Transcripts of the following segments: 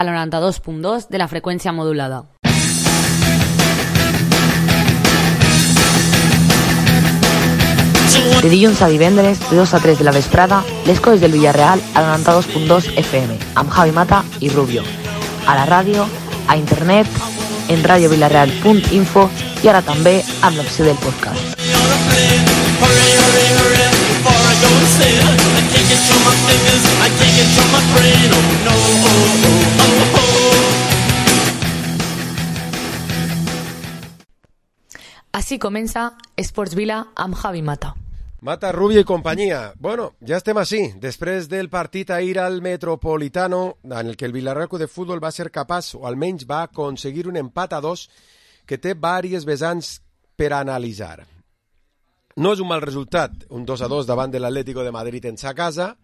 a la 92.2 de la freqüència modulada. De dilluns a divendres, de 2 a 3 de la vesprada, les coses del Villarreal a la 92.2 FM, amb Javi Mata i Rubio. A la ràdio, a internet, en radiovillarreal.info i ara també amb l'opció del podcast. Així comença Esports Vila amb Javi Mata. Mata, Rubio i companyia. Bueno, ja estem així. Després del partit ahir al Metropolitano, en el que el Villarreal Club de Futbol va ser capaç, o almenys va aconseguir un empat a 2 que té diverses vessants per analitzar. No és un mal resultat, un 2-2 davant de l'Atlético de Madrid en sa casa,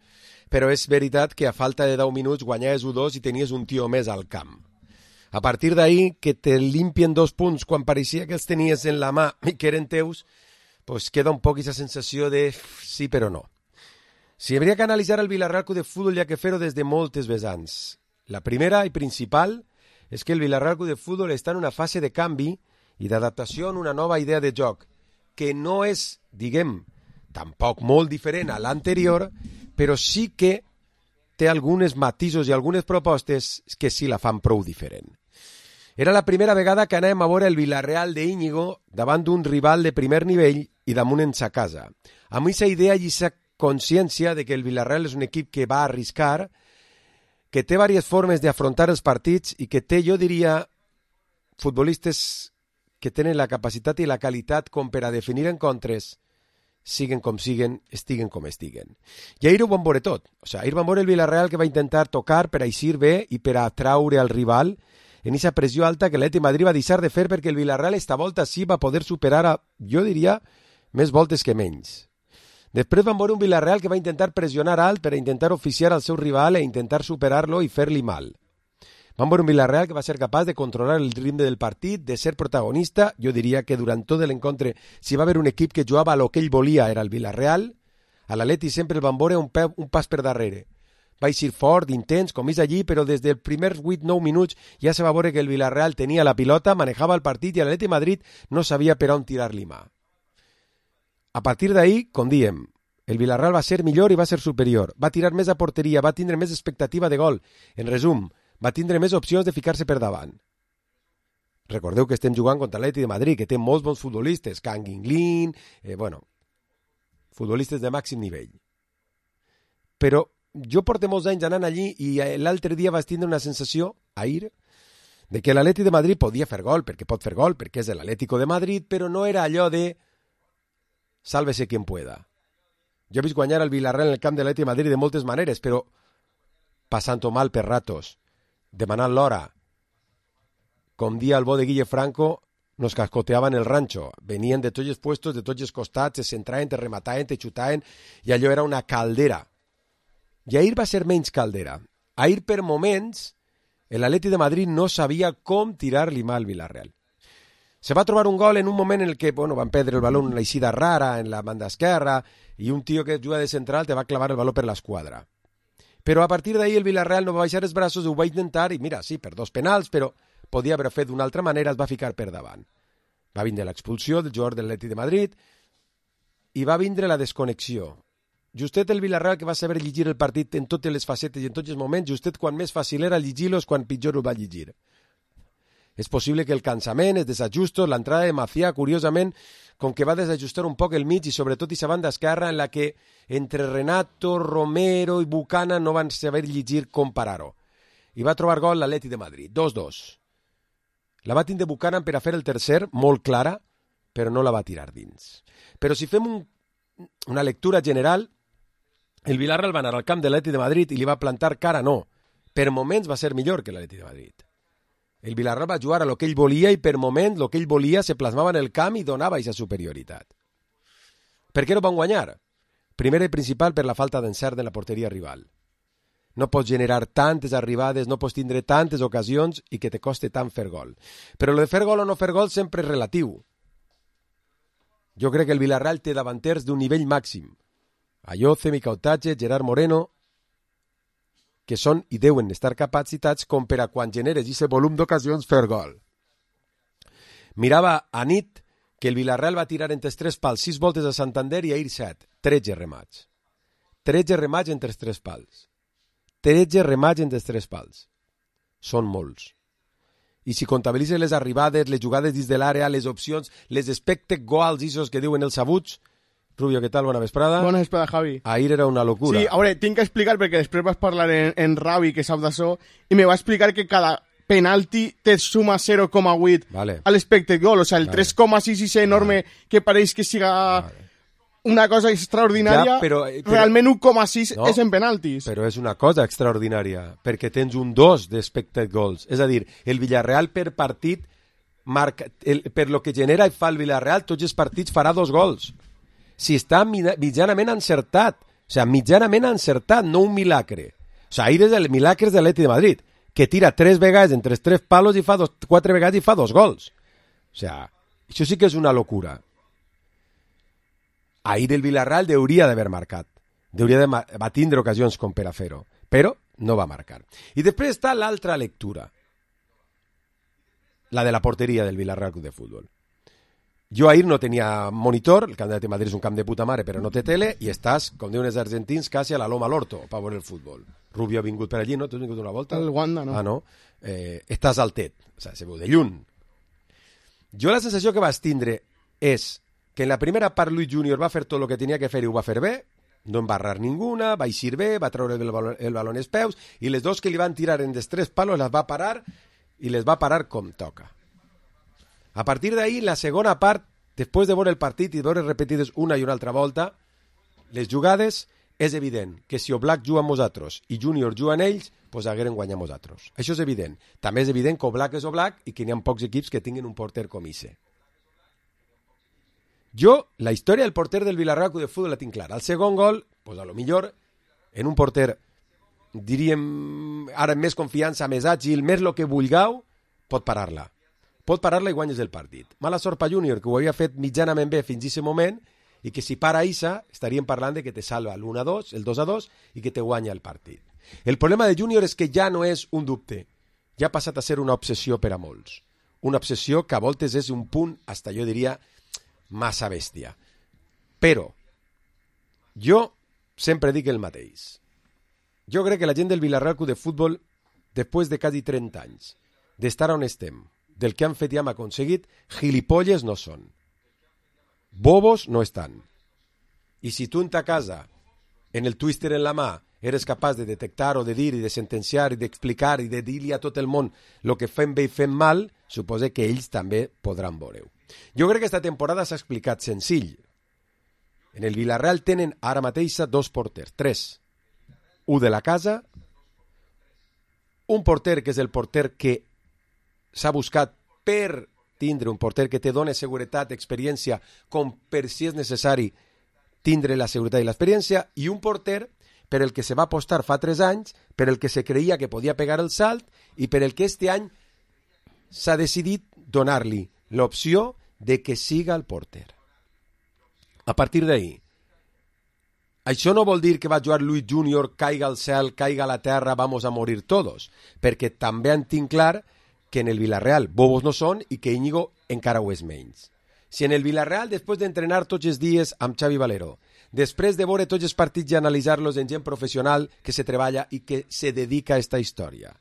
però és veritat que a falta de 10 minuts guanyaves 1-2 i tenies un tio més al camp. A partir d'ahir, que te limpien 2 punts quan pareixia que els tenies en la mà i que eren teus, pues queda un poc aquesta sensació de sí però no. Si hauria que analitzar el Villarreal Club de Futbol hi ha que fer-ho des de moltes vessants. La primera i principal és que el Villarreal Club de Futbol està en una fase de canvi i d'adaptació en una nova idea de joc, que no és, diguem, tampoc molt diferent a l'anterior, però sí que té alguns matisos i algunes propostes que sí la fan prou diferent. Era la primera vegada que anàvem a veure el Villarreal d'Íñigo davant d'un rival de primer nivell i damunt en sa casa. Amb aquesta idea i aquesta consciència de que el Villarreal és un equip que va arriscar, que té diverses formes d'afrontar els partits i que té, jo diria, futbolistes que tenen la capacitat i la qualitat com per a definir encontres, siguen com siguen, estiguen com estiguen. I ahir ho vam veure tot. Ahir vam veure el Villarreal que va intentar tocar per a eixir bé i per a atraure al rival en aquesta pressió alta que l'Atlètic de Madrid va deixar de fer perquè el Villarreal esta volta sí va poder superar a, jo diria, més voltes que menys. Després vam veure un Villarreal que va intentar pressionar alt per a intentar oficiar al seu rival e intentar superar-lo i fer-li mal. Vam veure un Villarreal que va ser capaç de controlar el ritme del partit, de ser protagonista. Jo diria que durant tot l'encontre, si va haver un equip que jugava a lo que ell volia, era el Villarreal. A l'Atlètic sempre el vam veure un pas per darrere. Va eixir fort, intens, com és allí, però des dels primers 8-9 minuts ja se va veure que el Villarreal tenia la pilota, manejava el partit i l'Atlètic de Madrid no sabia per on tirar-li mà. A partir d'ahir, com diem, el Villarreal va ser millor i va ser superior. Va tirar més a porteria, va tindre més expectativa de gol. En resum, va tindre més opcions de ficar-se per davant. Recordeu que estem jugant contra l'Atlètic de Madrid, que té molts bons futbolistes, Kang In-lin, futbolistes de màxim nivell. Però jo porto molts anys anant allí i l'altre dia vaig tindre una sensació, ahir, de que l'Atlètic de Madrid podia fer gol, perquè pot fer gol, perquè és l'Atlético de Madrid, però no era allò de sálvese quien pueda. Jo he vist guanyar el Villarreal en el camp de l'Atlètic de Madrid de moltes maneres, però passant-ho mal per ratos, demanant l'hora. Com dia el bo de Guille Franco, nos cascoteaven el rancho. Venien de tots els puestos, de tots els costats, es centraven, te remataven, te xutaven, i allò era una caldera. I ahir va ser menys caldera. Ahir, per moments, l'Atlètic de Madrid no sabia com tirar-li mà al Villarreal. Se va trobar un gol en un moment en el que van perdre el baló en una eixida rara en la banda esquerra i un tio que juga de central te va clavar el baló per l'esquadra. Però a partir d'ahir el Villarreal no va baixar els braços, ho va intentar i mira, sí, per 2 penals, però podia haver fet d'una altra manera, es va ficar per davant. Va vindre l'expulsió del jugador de l'Atlètic de Madrid i va vindre la desconnexió. Justet el Villarreal que va saber llegir el partit en totes les facetes i en tots els moments, justet quan més fàcil era llegir-lo és quan pitjor ho va llegir. És possible que el cansament, els desajustos, l'entrada de Macià, curiosament, com que va desajustar un poc el mig i sobretot aquesta banda esquerra en la que entre Renato, Romero i Bucana no van saber llegir com parar-ho. I va trobar gol l'Atlètic de Madrid, 2-2. La va tindre Buchanan per a fer el tercer, molt clara, però no la va tirar dins. Però si fem una lectura general, el Villarreal va anar al camp de l'Atlètic de Madrid i li va plantar cara, no. Per moments va ser millor que l'Atlètic de Madrid. El Villarreal va jugar a lo que ell volia i per moments lo que ell volia se plasmava en el camp i donava aquesta superioritat. Per què no van guanyar? Primer i principal per la falta d'encert en la porteria rival. No pots generar tantes arribades, no pots tindre tantes ocasions i que te coste tant fer gol. Però lo de fer gol o no fer gol sempre és relatiu. Jo crec que el Villarreal té davanters d'un nivell màxim. Ayoce, Micautatge, Gerard Moreno. que són i deuen estar capacitats com per a quan generes aquest volum d'ocasions fer gol. Mirava a nit que el Villarreal va tirar entre els 3 pals 6 voltes a Santander i ahir 7. 13 remats. 13 remats entre els 3 pals. 13 remats entre els 3 pals. Són molts. I si comptabilitzes les arribades, les jugades dins de l'àrea, les opcions, les expected goals, isos que diuen els sabuts... Rubio, què tal? Bona vesprada. Bona vesprada, Javi. Ahir era una locura. Sí, a veure, tinc que explicar, perquè després vas parlar en Ravi, que sap d'això, i me va explicar que cada penalti te suma 0,8 vale. a l'expected goal, o sea, el 3,6 és enorme, que pareix que siga una cosa extraordinària, ja, però, realment 1,6 no, és en penaltis. Però és una cosa extraordinària, perquè tens un 2 d'expected goals. És a dir, el Villarreal per partit, per lo que genera i fa el Villarreal, tots els partits farà 2 gols. Si està mitjanament encertat, o sigui, mitjanament encertat, no un milagre. O sigui, ahir és el milagre de l'Atlètic de Madrid, que tira 3 vegades entre els 3 palos i fa 4 vegades i fa 2 gols. O sigui, això sí que és una locura. Ahir el Villarreal hauria d'haver marcat. Va tindre ocasions com per a fer-ho, però no va marcar. I després està l'altra lectura, la de la porteria del Villarreal Club de Futbol. Jo ahir no tenia monitor, el Camp de Madrid és un camp de puta mare, però no té tele, i estàs, com diuen els argentins, quasi a la loma a l'orto, per veure el futbol. Rubio ha vingut per allí, no? Tu has vingut una volta? El Wanda, no. Ah, no? Estàs al tet, o sigui, se veu de lluny. Jo la sensació que vas tindre és que en la primera part Luis Junior va fer tot el que tenia que fer i ho va fer bé, no en va errar ninguna, va eixir bé, va treure el baló als peus, i les dos que li van tirar en els 3 palos les va parar, i les va parar com toca. A partir d'ahir, la segona part, després de veure el partit i de veure repetides una i una altra volta, les jugades, és evident que si Oblak juga amb nosaltres i Junior juga amb ells, doncs hagueren guanyat nosaltres. Això és evident. També és evident que Oblak és Oblak i que n'hi ha pocs equips que tinguin un porter com Isse. Jo, la història del porter del Villarreal de Futbol la tinc clara. El segon gol, doncs a lo millor, en un porter, diríem, ara amb més confiança, més àgil, més el que vulgueu, pot parar-la. Pot parar-la i guanyes el partit. Mala sort per Júnior, que ho havia fet mitjanament bé fins a aquest moment, i que si para Issa, estaríem parlant de que te salva l'1-2, el 2-2, i que te guanya el partit. El problema de Júnior és que ja no és un dubte, ja ha passat a ser una obsessió per a molts. Una obsessió que a voltes és un punt, hasta jo diria, massa bèstia. Però, jo sempre dic el mateix. Jo crec que la gent del Villarreal Club de Futbol, després de quasi 30 anys, d'estar on estem, del que han fet i hem aconseguit, gilipolles no són. Bobos no estan. I si tu en ta casa, en el twister en la mà, eres capaç de detectar o de dir i de sentenciar i d'explicar i de dir-li a tot el món el que fem bé i fem mal, suposa que ells també podran veure-ho. Jo crec que aquesta temporada s'ha explicat senzill. En el Villarreal tenen ara mateix 2 porters, 3. Un de la casa, un porter que és el porter que s'ha buscat per tindre un porter que te dona seguretat, experiència, com per si és necessari tindre la seguretat i l'experiència, i un porter per el que se va apostar fa 3 anys, per el que se creia que podia pegar el salt i per el que este any s'ha decidit donar-li l'opció de que siga el porter. A partir d'ahir, això no vol dir que va jugar Luis Junior, caiga al cel, caiga a la terra, vamos a morir todos, perquè també en tinc clar que en el Villarreal bobos no són i que Íñigo encara ho és menys. Si en el Villarreal, després d'entrenar tots els dies amb Xavi Valero, després de veure tots els partits i analitzar-los en gent professional que se treballa i que se dedica a esta història,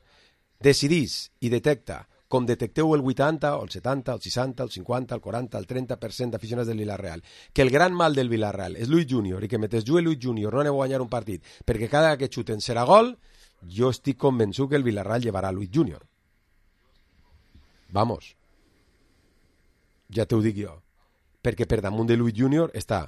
decidís i detecta, com detecteu el 80, el 70, el 60, el 50, el 40, el 30% d'aficionats del Villarreal, que el gran mal del Villarreal és Luis Junior i que mentre jugui Luis Junior no aneu a guanyar un partit perquè cada que xuten serà gol, jo estic convençut que el Villarreal llevarà Luis Junior. Vamos, ja t'ho dic jo, perquè per damunt de Luis Junior està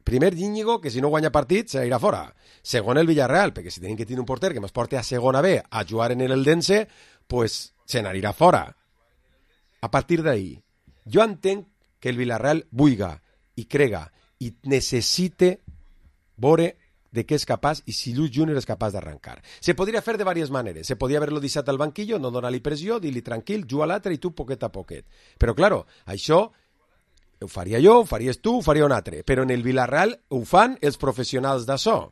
primer Íñigo, que si no guanya partit se irà fora, segon el Villarreal, perquè si tenen que tenir un porter que ens porti a segona B a jugar en el Dense, pues se n'anirà fora. A partir d'ahir, jo entenc que el Villarreal vulga i crega i necessite veure de què és capaç i si Luis Junior és capaç d'arrencar. Se podria fer de diverses maneres. Se podria haver-lo deixat al banquillo, no donar-li pressió, dir-li tranquil, juga l'altre i tu poquet a poquet. Però, claro, això ho faria jo, ho faries tu, ho faria un altre. Però en el Villarreal ho fan els professionals d'això. O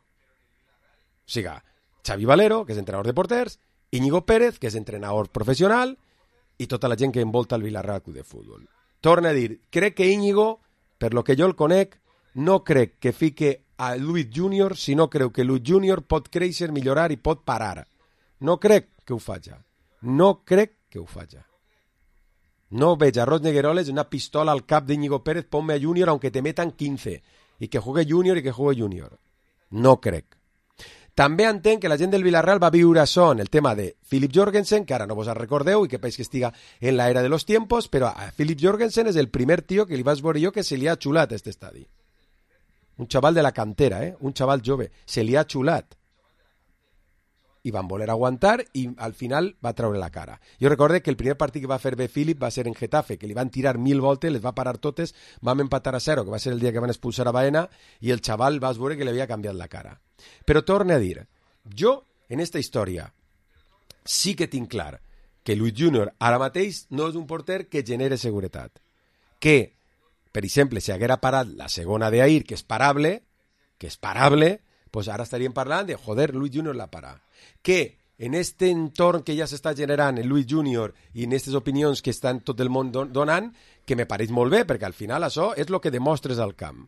sigui, Xavi Valero, que és entrenador de porters, Íñigo Pérez, que és entrenador professional, i tota la gent que envolta el Villarreal Club de Futbol. Torna a dir, crec que Íñigo, per lo que jo el conec, no crec que fique a Luis Junior, sinó creu que Luis Junior pot créixer, millorar i pot parar. No crec que ho faja. No crec que ho faja. No veig a Ros Negueroles una pistola al cap d'Íñigo Pérez, ponme a Junior aunque te metan 15, i que juegue Junior i que juegue Junior. No crec. També entenc que la gent del Villarreal va viure això en el tema de Philip Jorgensen, que ara no vos en recordeu i que penso que estiga en la era de los tiempos, però a Philip Jorgensen és el primer tio que li vaig veure jo que se li ha xulat a este estadi. Un xaval de la cantera, un xaval jove. Se li ha xulat. I van voler aguantar i al final va treure la cara. Jo recordo que el primer partit que va fer bé Philip va ser en Getafe, que li van tirar 1000 voltes, les va parar totes, vam empatar a 0, que va ser el dia que van expulsar a Baena, i el xaval vas veure que li havia canviat la cara. Però torne a dir, jo, en esta història, sí que tinc clar que Luis Junior ara mateix no és un porter que genere seguretat. Que, per exemple, si haguera parat la segona d'Ahir, que és parable, pues ara estaríem parlant de, joder, Luis Junior la para. Que en este entorn que ja s'està generant en Luis Junior i en aquestes opinions que estan tot el món donant, que me pareix molt bé, perquè al final això és el que demostres al camp.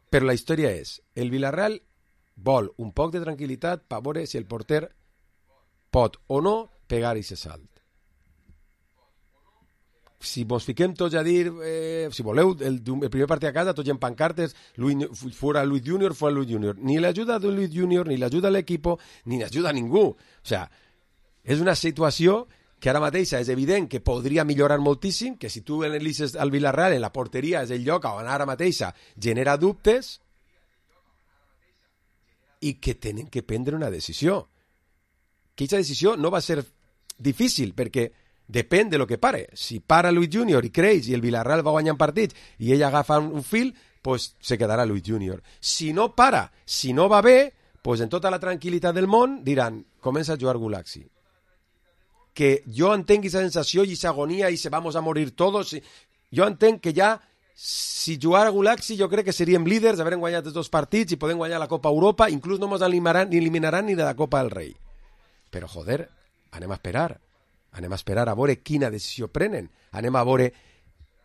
Però la història és, el Villarreal vol un poc de tranquil·litat per veure si el porter pot o no pegar aquest salt. Si vos fiquem tots a dir, si voleu, el primer partit a casa, tots en pancartes, fuera Luis Junior, fuera Luis Junior. Ni l'ajuda de Luis Junior, ni l'ajuda a l'equipo, ni l'ajuda a ningú. O sea, és una situació que ara mateixa és evident que podria millorar moltíssim, que si tu analitzes al Villarreal en la porteria és el lloc on ara mateixa genera dubtes i que tenen que prendre una decisió. Que aquesta decisió no va ser difícil, perquè depèn de lo que pare. Si para Luis Junior i creix i el Villarreal va guanyant partits i ell agafa un fil, pues se quedarà Luis Junior. Si no para, si no va bé, pues en tota la tranquil·litat del món diran, comença a jugar Gulaxi. Que jo entenc aquesta sensació i aquesta agonia i se vamos a morir todos. Jo entenc que ja, si jugar a Gulaxi, jo crec que seríem líders d'haver guanyat els 2 partits i podem guanyar la Copa Europa, inclús no ens eliminaran ni de la Copa del Rei. Però, joder, anem a esperar. Anem a esperar a veure quina decisió prenen. Anem a veure,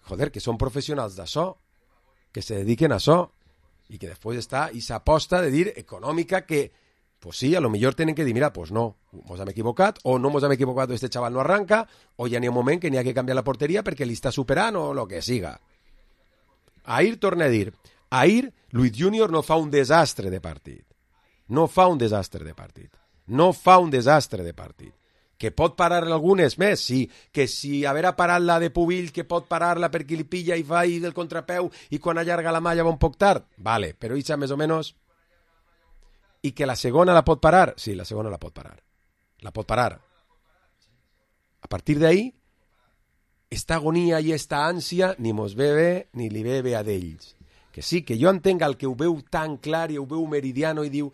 joder, que són professionals d'això, que se dediquen a això, i que després està aquesta aposta de dir econòmica que, pues sí, a lo millor tenen que dir, mira, pues no, mos hem equivocat, o no mos hem equivocat, o este xaval no arranca, o ja n'hi ha un moment que n'hi ha que canviar la porteria perquè li està superant o lo que siga. Ahir torna a dir, ahir Luis Junior no fa un desastre de partit. No fa un desastre de partit. No fa un desastre de partit. Que pot parar algunes més, sí. Que si haver parat la de Pubill, que pot parar-la perquè li pilla i fa del contrapeu i quan allarga la malla va un poc tard. Vale, però ixa més o menys. I que la segona la pot parar? Sí, la segona la pot parar. La pot parar. A partir d'ahí, esta agonia i esta ànsia ni mos ve bé ni li ve bé a d'ells. Que sí, que jo entenc el que ho veu tan clar i ho veu meridiano i diu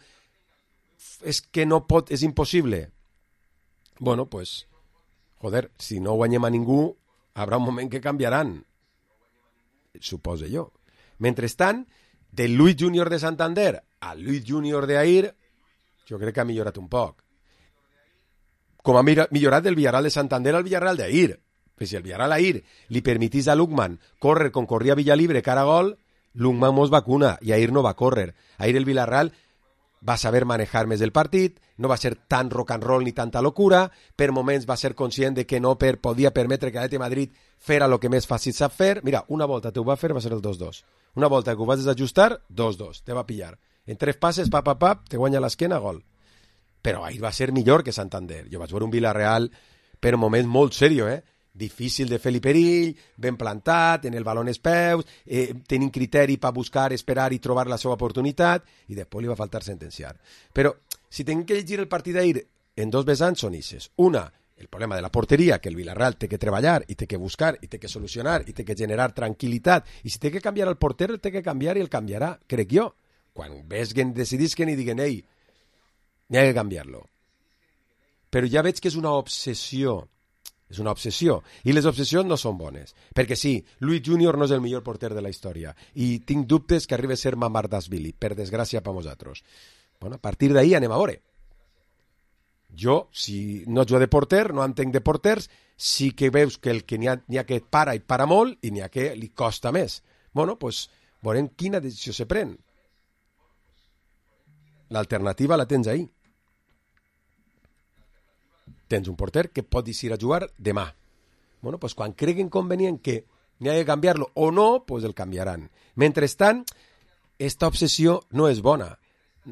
és que no pot, és impossible. Bueno, pues, joder, si no guanyem a ningú, habrà un moment que canviaran. Supose jo. Mentrestant, del Luis Junior de Santander al Luis Junior d'Ahir, jo crec que ha millorat un poc. Com ha millorat del Villarreal de Santander al Villarreal d'Ahir. Pues si el Villarreal d'Ahir li permitís a Lukman córrer com corria Villalibre cara a gol, Lukman mos vacuna i Ahir no va córrer. Ahir el Villarreal va saber manejar més el partit, no va ser tan rock and roll ni tanta locura, per moments va ser conscient de que no podia permetre que l'Atlètic Madrid fera el que més fàcil sap fer. Mira, una volta te ho va fer, va ser el 2-2. Una volta que ho vas desajustar, 2-2, te va pillar. En 3 passes, pap, te guanya l'esquena, gol. Però ahir va ser millor que Santander. Jo vaig veure un Villarreal per moments molt serio, difícil de fer-li perill, ben plantat, en el baló en els peus, tenint criteri per buscar, esperar i trobar la seva oportunitat, i després li va faltar sentenciar. Però, si tenim que llegir el partit d'ahir en 2 vessants són ixes. Una, el problema de la porteria, que el Villarreal té que treballar, i té que buscar, i té que solucionar, i té que generar tranquil·litat, i si té que canviar el porter, el té que canviar i el canviarà, crec jo. Quan vesguen, decidisquen i diguen, ei, n'hi ha que canviar-lo. Però ja veig que és una obsessió. És una obsessió. I les obsessions no són bones. Perquè sí, Luis Junior no és el millor porter de la història. I tinc dubtes que arribi a ser Mamardashvili, per desgràcia per nosaltres. Bueno, a partir d'ahir anem a veure. Jo, si no jugo de porter, no entenc de porters, sí que veus que el que n'hi ha que para i para molt i n'hi ha que li costa més. Bueno, doncs veurem quina decisió se pren. L'alternativa la tens ahir. Tens un porter que pot decidir a jugar demà. Bueno, doncs quan creguin convenient que n'hi ha que canviar-lo o no, doncs el canviaran. Mentrestant, esta obsessió no és bona,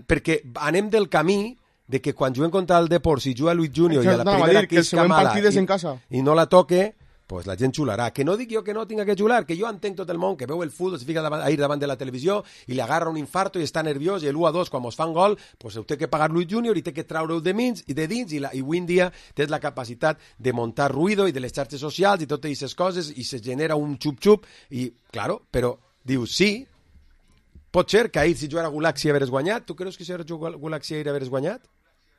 perquè anem del camí de que quan juguem contra el Depor, si juga Luis Junior i a la primera que és mala i no la toque, pues la gent xularà. Que no dic jo que no tinga que xular, que jo entenc tot el món, que veu el futbol, se fica ahir davant de la televisió i li agarra un infarto i està nerviós i l'1-2 quan mos fan gol, pues heu té que pagar Luis Junior i té que traure-ho de dins i avui en dia tens la capacitat de muntar ruïdo i de les xarxes socials i totes aquestes coses i se genera un xup-xup i, claro, però dius sí, pot ser que ahir si jugara Gulaxi haveres guanyat. Tu creus que si jugara Gulaxi ahir haveres guanyat?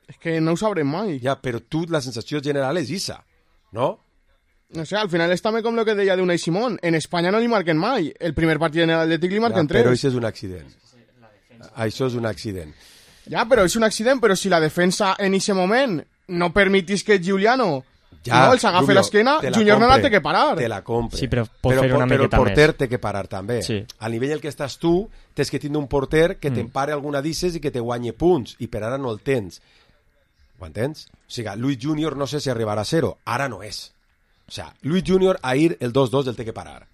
És que no ho sabrem mai. Ja, però tu la sensació general és issa, no? No sé, al final és també com el que deia d'Unai Simón. En Espanya no li marquen mai. El primer partit en l'Atlètic li marquen 3. Però això és un accident. Això és un accident. Ja, però és un accident, però si la defensa en aquest moment no permetís que Giuliano no els agafi l'esquena, Junior no la té que parar. Te la compre. Sí, però pot fer una miqueta més. Però el porter més. té que parar també. Sí. Al nivell en què estàs tu, tens que tindre un porter que t'empare alguna disses i que te guanyi punts, i per ara no el tens. Ho entens? O sigui, Luis Junior no sé si arribarà a 0, ara no és. O sigui, Luis Junior ahir el 2-2 el té que parar.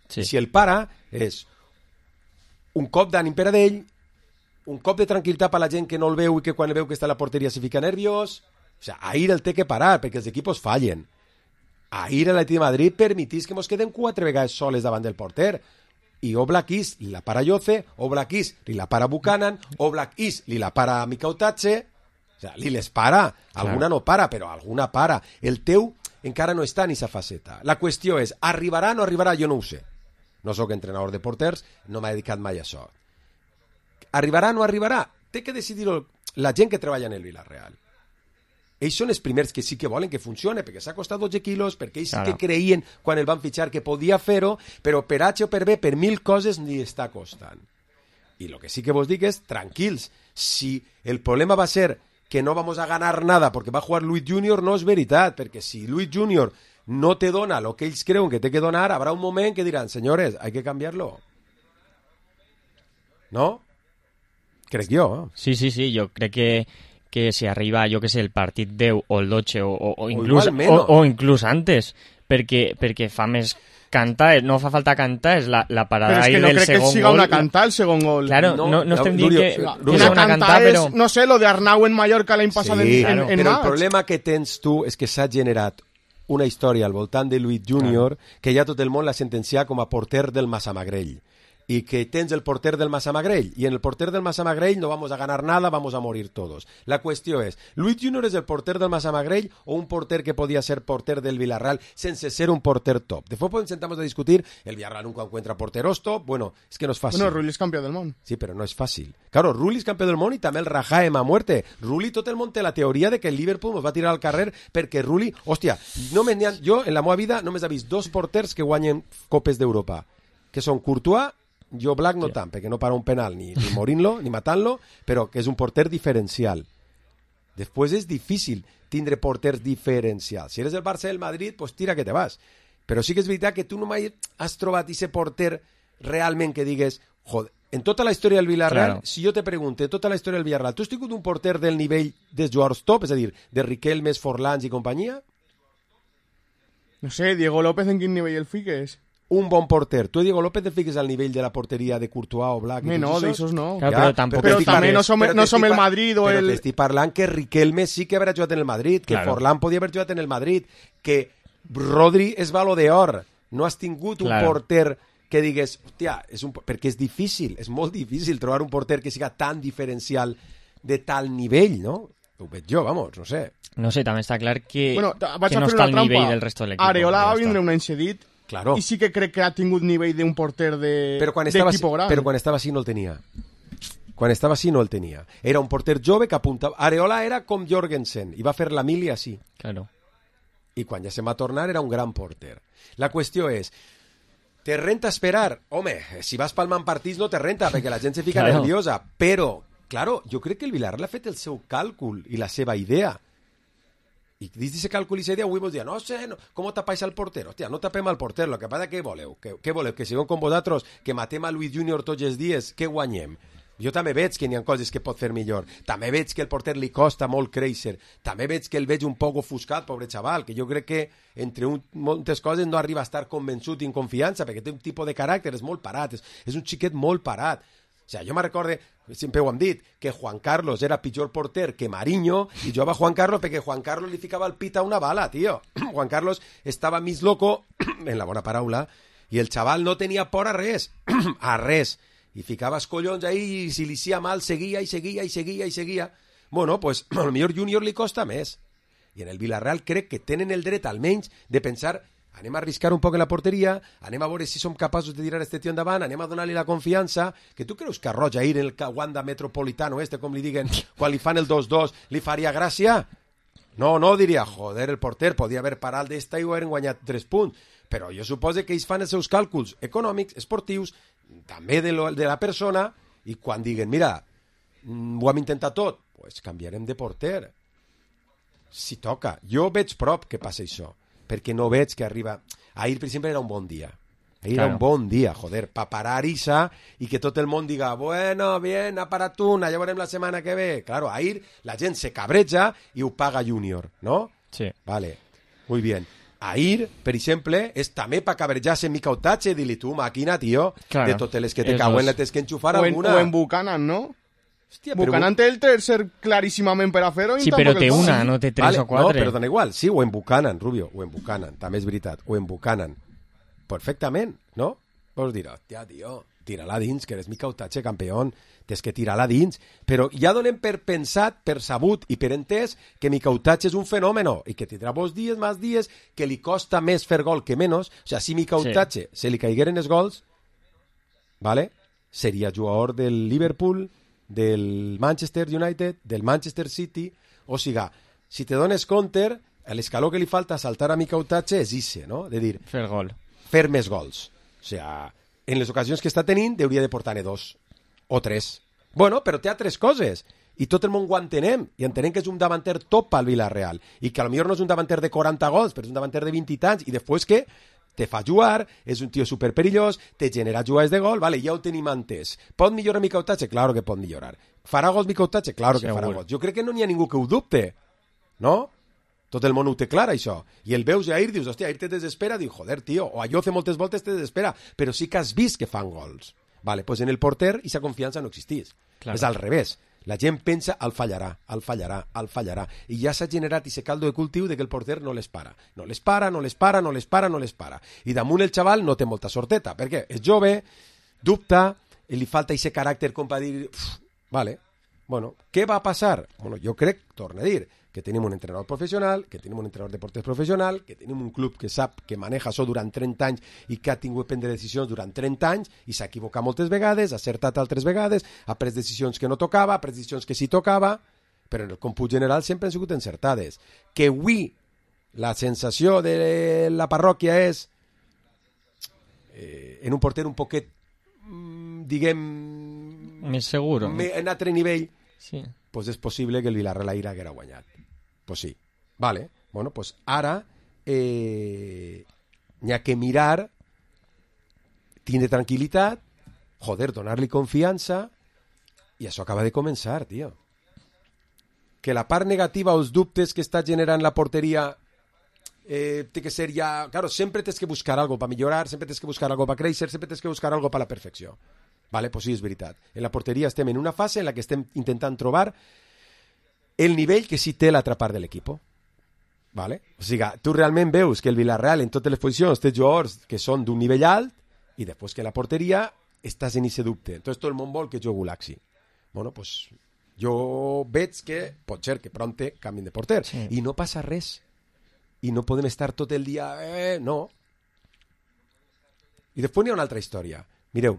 Sí. Si el para és un cop d'ànim per a d'ell, un cop de tranquil·litat per a la gent que no el veu i que quan el veu que està a la porteria se fica nerviós. O sigui, ahir el té que parar perquè els equipos fallen. Ahir l'Atlètic de Madrid permitís que mos quedem 4 vegades soles davant del porter. I Oblak Is li la para Yoce, Oblak Is li la para Buchanan, Oblak Is li la para Mikautatze. O sigui, li les para. Alguna no para, però alguna para. El teu encara no està en aquesta faceta. La qüestió és, arribarà o no arribarà? Jo no ho sé. No sóc entrenador de porters, no m'ha dedicat mai a això. Arribarà o no arribarà? Té que decidir-ho la gent que treballa en el Villarreal. Ells són els primers que sí que volen que funcione, perquè s'ha costat 12 quilos, perquè ells sí que creien quan el van fitxar que podia fer-ho, però per H o per B, per 1000 coses, ni està costant. I el que sí que vos dic és, tranquils, si el problema va ser que no vamos a ganar nada porque va a jugar Luis Junior, no és veritat, perquè si Luis Junior no te dona lo que ells creuen que té que donar, habrá un moment que diran, señores, hay que cambiarlo. ¿No? Crec jo. Sí, jo crec que si arriba, jo que sé, el partit 10 o el 12 o inclús antes, perquè fa més cantar, no fa falta cantar, és la parada ahí del segon gol. Però és que no crec que siga una cantar el segon gol. Claro, no estem dient que una cantar però... no sé, lo de Arnau en Mallorca l'any passat en però el problema que tens tu és que s'ha generat una història al voltant de Luis Junior que ja tot el món l'ha sentenciat com a porter del Massamagrell. Y que tens el porter del Massamagrell, y en el porter del Massamagrell no vamos a ganar nada, vamos a morir todos. La cuestión es, ¿Luis Junior es el porter del Massamagrell o un porter que podía ser porter del Villarreal sense ser un porter top? Después pues sentamos a discutir, el Villarreal nunca encuentra porteros top, bueno, es que no es fácil. Bueno, Rulli es campeón del món. Sí, pero no es fácil. Claro, Rulli es campeón del món y també el Rajaem a muerte. Rulli tot el món té la teoria de que el Liverpool nos va a tirar al carrer perquè Rulli, hòstia, jo en la meva vida només he vist 2 porters que guanyen Copes d'Europa, que són Courtois, jo Black no tant, perquè no para un penal ni morint-lo, ni matant-lo, però que és un porter diferencial. Després és difícil tindre porters diferencials. Si eres el Barça del Madrid, pues tira que te vas. Però sí que és veritat que tu no mai has trobat aquest porter realment que digues, joder, en tota la història del Villarreal, si jo te pregunto, en tota la història del Villarreal, tu has tingut un porter del nivell dels jugadors top, és a dir, de Riquelme, Forlans i companyia? No sé, Diego López en quin nivell el fiques? Un bon porter. Tu, Diego López, te fiques al nivell de la porteria de Courtois o Black? No, d'aixòs no. Claro, però també no som el Madrid o el... Però t'estic parlant que Riquelme sí que haurà jugat en el Madrid, que Forlán podia haver jugat en el Madrid, que Rodri és Baló d'Or. No has tingut un porter que digues, hòstia, perquè és difícil, és molt difícil trobar un porter que siga tan diferencial de tal nivell, no? Ho veig jo, vamos, no sé. No sé, també està clar que no està al nivell del resto de l'equip. Areola va vindre un any cedit. Claro. I sí que crec que ha tingut nivell d'un porter d'equip gran. Però quan estava així no el tenia. Quan estava així no el tenia. Era un porter jove que apuntava... Areola era com Jorgensen, i va fer la mili així. Claro. I quan ja se'n va tornar era un gran porter. La qüestió és, te renta esperar? Home, si vas palmant partits no te renta, perquè la gent se fica nerviosa, però claro, jo crec que el Villarreal ha fet el seu càlcul i la seva idea. I dins d'aquest càlcul i idea avui vols dir, no sé, no, com tapáis al porter? Hòstia, no tapem al porter, el que passa què voleu? Què voleu? Que siguem com vosaltres, que matem a Luis Junior tots els dies, què guanyem? Jo també veig que n'hi ha coses que pot fer millor. També veig que el porter li costa molt créixer. També veig que el veig un poc ofuscat, pobre xaval, que jo crec que entre moltes coses no arriba a estar convençut i en confiança, perquè té un tipus de caràcter, és molt parat, és un xiquet molt parat. O sigui, jo me recorde, sempre ho hem dit, que Juan Carlos era pitjor porter que Mariño, i jo va Juan Carlos perquè Juan Carlos li ficava el pit a una bala, tio. Juan Carlos estava mig loco, en la bona paraula, i el xaval no tenia por a res, a res. I ficava els collons ahí i si li sia mal seguia i seguia i seguia i seguia. Bueno, pues a lo millor Junior li costa més. I en el Villarreal crec que tenen el dret almenys de pensar anem a arriscar un poc en la porteria, anem a veure si som capaços de tirar este tio endavant, anem a donar-li la confiança, que tu creus que a Roja ir en el Wanda Metropolitano com li diguen, quan li fan el 2-2, li faria gràcia? No, diria, joder, el porter podia haver parat d'esta i ho hagueren guanyat 3 punts. Però jo suposo que ells fan els seus càlculs econòmics, esportius, també de la persona, i quan diguen, mira, ho hem intentat tot, pues canviarem de porter. Si toca. Jo veig prop que passa això, perquè no veig que arriba... Ahir, per exemple, era un bon dia. Ahir era un bon dia, joder, pa parar Isa i que tot el món diga, bueno, bien, ha parat una, ja veurem la setmana que ve. Claro, ahir la gent se cabreja i ho paga Junior, ¿no? Sí. Vale, muy bien. Ahir, per exemple, és també per cabrejar-se en Mica Otache, dir-li tu, màquina, tio, claro, de totes les que te cauen, la tens que enxufar alguna. O en Buchanan, ¿no? Hòstia, Buchanan té el tercer claríssimament per a fer-ho. Sí, però té una, no té 3 o 4. No, però dona igual. Sí, o en Buchanan, Rubio, o en Buchanan, també és veritat, o en Buchanan. Perfectament, no? Vols dir, hòstia, tio, tira-la dins, que eres Mica Otache, campeón, tens que tirar-la dins, però ja donem per pensat, per sabut i per entès que Mica Otache és un fenòmeno i que tindrà molts dies, més dies, que li costa més fer gol que menys. O sigui, si Mica Otache se li caigueren els gols, ¿vale? Seria jugador del Liverpool, del Manchester United, del Manchester City, o sigui, si te dones compte, l'escaló que li falta saltar a Mica Otache és ixe, no? De dir, fer gol. Fer més gols. O sigui, en les ocasions que està tenint, hauria de portar-ne 2 o 3. Bueno, però té altres coses. I tot el món ho entenem. I entenem que és un davanter top al Villarreal. I que potser no és un davanter de 40 gols, però és un davanter de 20 i tants. I després que te fa jugar, és un tio superperillós, te genera jugades de gol, vale, ja ho tenim entès. Pot millorar Mica Otache? Claro que pot millorar. Farà gols Mica Otache? Claro que farà gols. Jo crec que no n'hi ha ningú que ho dubte. No? Tot el món ho té clar, això. I el veus a Ahir, dius, hòstia, Ahir te desespera, diu, joder, tio, o allò fer moltes voltes te desespera, però sí que has vist que fan gols. Vale, pues en el porter esa confiança no existís. Claro. És al revés. La gent pensa, el fallarà. I ja s'ha generat aquest caldo de cultiu de que el porter no les para. No les para. I damunt el xaval no té molta sorteta, perquè és jove, dubta, li falta aquest caràcter com per dir, vale, bueno, què va passar? Bueno, jo crec, torno a dir, que tenim un entrenador professional, que tenim un entrenador de porters professional, que tenim un club que sap que maneja això durant 30 anys i que ha tingut prendre decisions durant 30 anys i s'ha equivocat moltes vegades, ha acertat altres vegades, ha pres decisions que no tocava, ha pres decisions que sí tocava, però en el còmput general sempre han sigut encertades. Que avui la sensació de la parròquia és en un porter un poquet, diguem... més seguro. En altre nivell, sí. Pues és possible que el Villarreal ahir haguera guanyat. Pues sí. Vale. Bueno, pues ara n'hi ha que mirar, tindre tranquil·litat, joder, donar-li confiança, i això acaba de començar, tio. Que la part negativa, els dubtes que està generant la porteria, té que ser ja... Claro, sempre tens que buscar algo per millorar, sempre tens que buscar algo per créixer, sempre tens que buscar algo per la perfecció. Vale, pues sí, és veritat. En la porteria estem en una fase en la que estem intentant trobar el nivell que sí té l'altra part de l'equip. Vale? O sigui, tu realment veus que el Villarreal en totes les posicions té jugadors que són d'un nivell alt i després que la porteria estàs en aquest dubte. Entonces tot el món vol que jo gulaxi. Bueno, pues jo veig que pot ser que prompte canvien de porter. Sí. I no passa res. I no podem estar tot el dia... no. I després n'hi ha una altra història. Mireu,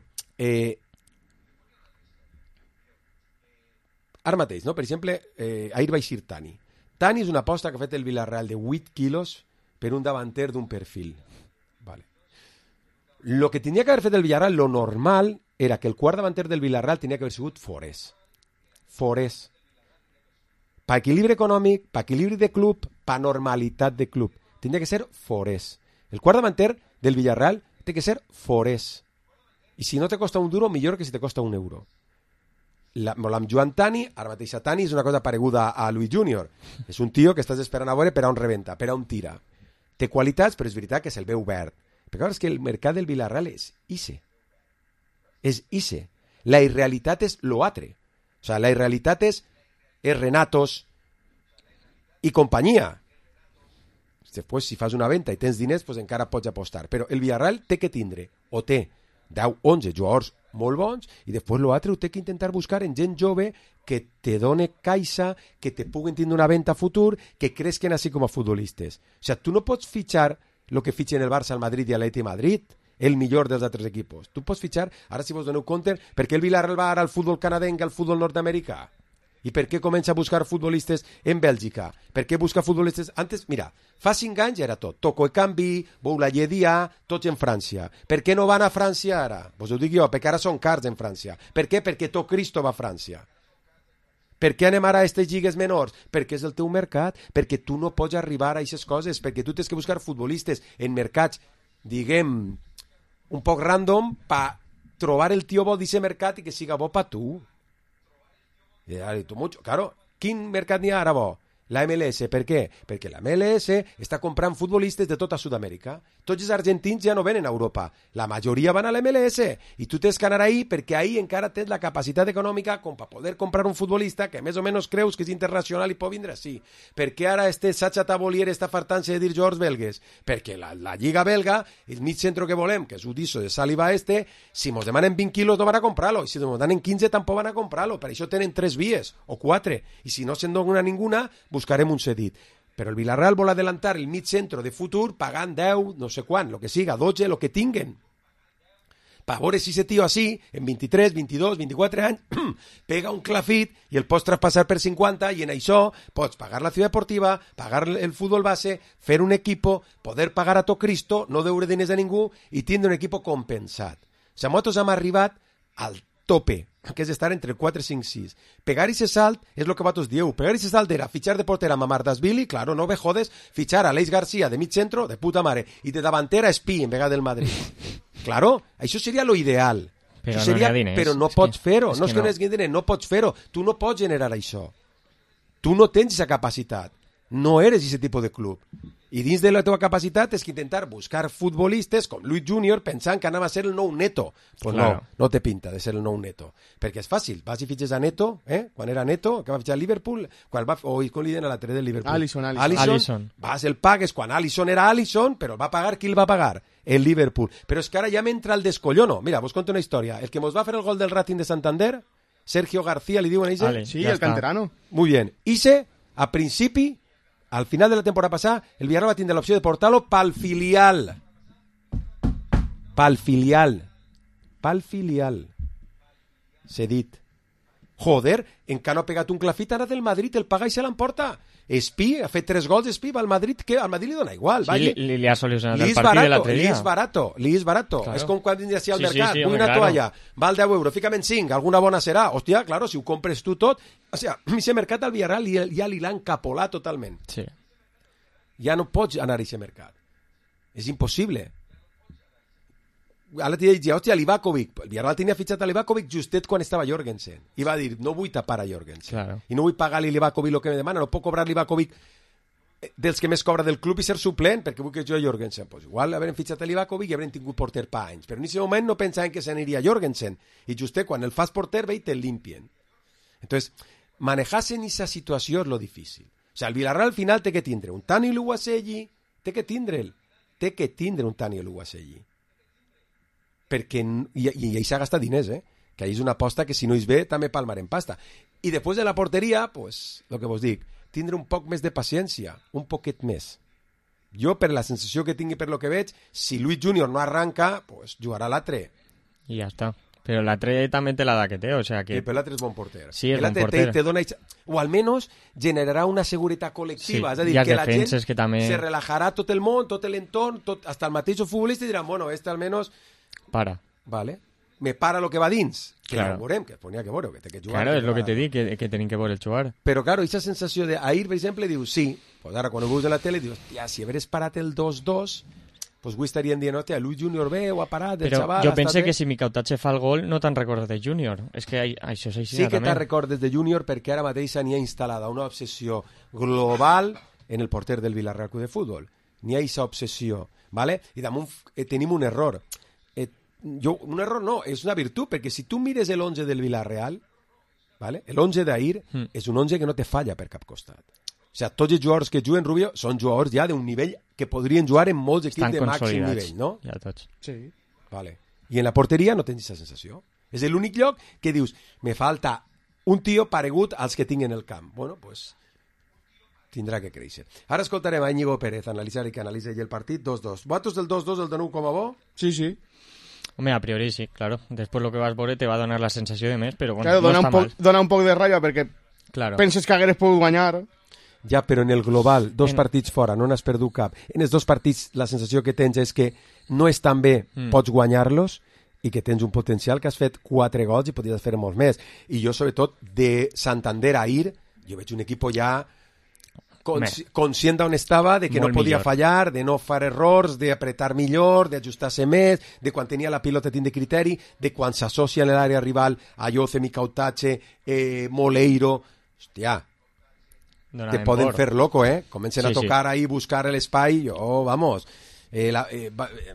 ara mateix, no? Per exemple, ahir va eixir Tani. Tani és una aposta que ha fet el Villarreal de 8 quilos per un davanter d'un perfil. Vale. Lo que tenia que haver fet el Villarreal, lo normal, era que el quart davanter del Villarreal tenia que haver sigut Forés. forés. Pa equilibri econòmic, pa equilibri de club, pa normalitat de club. Tindria que ser forés. El quart davanter del Villarreal té que ser forés. I si no te costa un duro, millor que si te costa un euro. Amb Joan Tani, ara mateix Tani és una cosa pareguda a Luis Junior. És un tio que estàs esperant a veure per a on rebenta, per a on tira. Té qualitats, però és veritat que se'l veu verd. Però és que el mercat del Villarreal és ixe. És ixe. La irrealitat és lo altre. O sea, la irrealitat és Renatos i companyia. Després, si fas una venda i tens diners, pues encara pots apostar. Però el Villarreal té que tindre, o té 10, 11 jugadors molt bons, i després l'altre ho té que intentar buscar en gent jove que te done caixa, que te puguen tindre una venda a futur, que cresquen així com a futbolistes. O sea, tu no pots fitxar el que fitxen el Barça, el Madrid i l'Atleti Madrid, el millor dels altres equipos. Tu pots fitxar, ara si vos doneu compte, per què el Villarreal va ara al futbol canadenc, al futbol nord-americà? I per què comença a buscar futbolistes en Bèlgica? Per què busca futbolistes... Antes, mira, fa 5 anys era tot. Toco e Canvi, Boulaye Dia, tots en França. Per què no van a França ara? Vos ho dic jo, perquè ara són cars en França. Per què? Perquè tot Cristo va a França. Per què anem ara a aquestes lligues menors? Perquè és el teu mercat, perquè tu no pots arribar a aquestes coses, perquè tu tens que buscar futbolistes en mercats, diguem, un poc random, per trobar el tio bo d'aquest mercat i que siga bo per tu. Claro, quin mercat n'hi ha ara bo? La MLS, per què? Perquè la MLS està comprant futbolistes de tota Sud-amèrica. Tots els argentins ja no venen a Europa. La majoria van a la MLS. I tu tens que anar ahí perquè ahí encara tens la capacitat econòmica com per poder comprar un futbolista que més o menys creus que és internacional i pot vindre així. Per què ara Sacha Tabolier està fartant-se de dir jugadors belgues? Perquè la Lliga belga, el mig centre que volem, que és Udiso de Saliba si mos demanen 20 quilos no van a comprar-lo. I si mos demanen 15 tampoc van a comprar-lo. Per això tenen 3 vies o 4. I si no se'n dona ninguna, buscarem un cedit. Però el Villarreal vol adelantar el mig centre de futur pagant 10, no sé quan, lo que siga, 12, lo que tinguen. Per veure si ese tio així, en 23, 22, 24 anys, pega un clafit i el pots traspassar per 50 i en això pots pagar la ciutat deportiva, pagar el futbol base, fer un equipo, poder pagar a tot Cristo, no deure diners a ningú i tindre un equipo compensat. O sigui, nosaltres hem arribat al tope, que és estar entre el 4, 5, 6. Pegar ese salt és el que vosaltres dieu. Pegar ese salt era fitxar de portera a Mamardashvili, claro, no me jodes, fitxar a Aleix García de mig centro, de puta mare, i de davantera Espí en vegada del Madrid. Claro, això seria lo ideal. Però això seria, no hi ha diners. però no pots fer-ho. No és que no hi hagi diners, no pots fer-ho. Tu no pots generar això. Tu no tens aquesta capacitat. No eres aquest tipus de club. I dins de la teva capacitat és que intentar buscar futbolistes com Luis Junior pensant que anava a ser el nou Neto. Pues claro. No té pinta de ser el nou Neto. Perquè és fàcil. Vas i fitxes a Neto, quan era Neto, que va fitxar a Liverpool, quan va, com li deien a l'altre del Liverpool? Alisson. Vas, el pagues quan Alisson era Alisson, però el va pagar, qui el va pagar? El Liverpool. Però és que ara ja m'entra el descollono. Mira, vos conto una història. El que mos va fer el gol del Racing de Santander, Sergio García, li diuen a Ise? Sí, el canterano. Muy bien. Ise, a principi, al final de la temporada passada, el Villarreal va tindre l'opció de portar-lo pel filial. Pel filial. Cedit. Joder, encara no ha pegat un clafit, ara del Madrid, el paga i se l'emporta. Espí, ha fet 3 gols, Espí, va al Madrid, que al Madrid li dona igual. Sí, li ha solucionat el partit de l'altre dia. Li és barato. Claro. És com quan vindria així al mercat, sí, vull una toalla, val 10 euros, fica'm en 5, alguna bona serà. Hòstia, claro, si ho compres tu tot... O sigui, aquest mercat al Villarreal ja li l'han capolat totalment. Sí. Ja no pots anar a aquest mercat. És impossible. Ara t'hi diria, hòstia, Livakovic. El Villarreal tenia fitxat a Livakovic justet quan estava Jorgensen. I va dir, no vull tapar a Jorgensen. Claro. I no vull pagar-li a Livakovic el que me demana. No puc cobrar Livakovic dels que més cobra del club i ser suplent, perquè vull que jo Jorgensen. Pues igual haurem fitxat a Livakovic i haurem tingut porter pa anys. Però en aquest moment no pensaven que s'aniria Jorgensen. I justet quan el fas porter ve i te'l limpien. Entonces, manejar-se en aquesta situació és lo difícil. O sigui, el Villarreal al final té que tindre un Tani Luwaselli, té que tindre un Tani Luwaselli. Perquè, i s'ha gastat diners, que és una aposta que si no és bé també palmarem pasta. I després de la porteria, pues, el que vos dic, tindre un poc més de paciència, un poquet més. Jo, per la sensació que tingui per lo que veig, si Luis Junior no arranca, pues jugarà l'altre. I ja està. Però l'altre també té l'edat que té, o sea que... Sí, però l'altre és bon porter. Sí, és bon porter. Te dona... O almenys generarà una seguretat col·lectiva. Sí, és a dir, que la gent que també... se relajarà tot el món, tot l'entorn, hasta el mateix futbolista i diran, bueno, almenys... Para. Vale. me para lo que va dins, que Claro. ja ho veurem, que n'hi ha que veure, que té que jugar. Claro, és el que va- te dic, que tenim que veure el jugar. Però, claro, aquesta sensació d'ahir, per exemple, dius, sí, pues ara quan ho veus a la tele, dius, hòstia, si hagués parat el 2-2, pues avui estarien dient, hòstia, Luis Junior bé, ho ha parat, el Però xaval... jo ha pense estat que bé. si Micautatge fa el gol no te'n recordes de Júnior. És que això és així Sí que també. te'n recordes de Júnior perquè ara mateix n'hi ha instal·lada una obsessió global en el porter del Villarreal Club de Futbol. N'hi ha aquesta obsessió, ¿vale? I damunt tenim un error. Un error no, és una virtut, perquè si tu mires l'11 del Villarreal, ¿vale? l'11 d'ahir és un 11 que no te falla per cap costat. O sigui, tots els jugadors que juguen, Rubio, són jugadors ja d'un nivell que podrien jugar en molts equips Estan de màxim consolidats, nivell, no? ja tots. Sí. Vale. I en la porteria no tens aquesta sensació. És l'únic lloc que dius, me falta un tio paregut als que tinc en el camp. Bueno, pues tindrà que créixer. Ara escoltarem a Íñigo Pérez analitzar i que analitza ell el partit 2-2. Votos del 2-2, el de nou com a bo? Sí, sí. Home, a priori sí, claro. Després lo que vas veure te va donar la sensació de més, però bueno, Claro, no està mal. dona un poc de ràbia perquè Claro. penses que hagueres pogut guanyar. Ja, però en el global, dos partits fora, no n'has perdut cap. En els dos partits la sensació que tens és que no és tan bé, pots guanyar-los, i que tens un potencial que has fet 4 gols i podries fer molts més. I jo, sobretot, de Santander a Ir, jo veig un equip ja conscient d'on estava, de que Molt no podia millor. fallar, de no fer errors, d'apretar millor, d'ajustar-se més, de quan tenia la pilota tindre criteri, de quan s'associa en l'àrea rival a Yoce, Micautatge, Moleiro... Hòstia, te poden fer loco, Comencen a tocar ahí, buscar l'espai, vamos,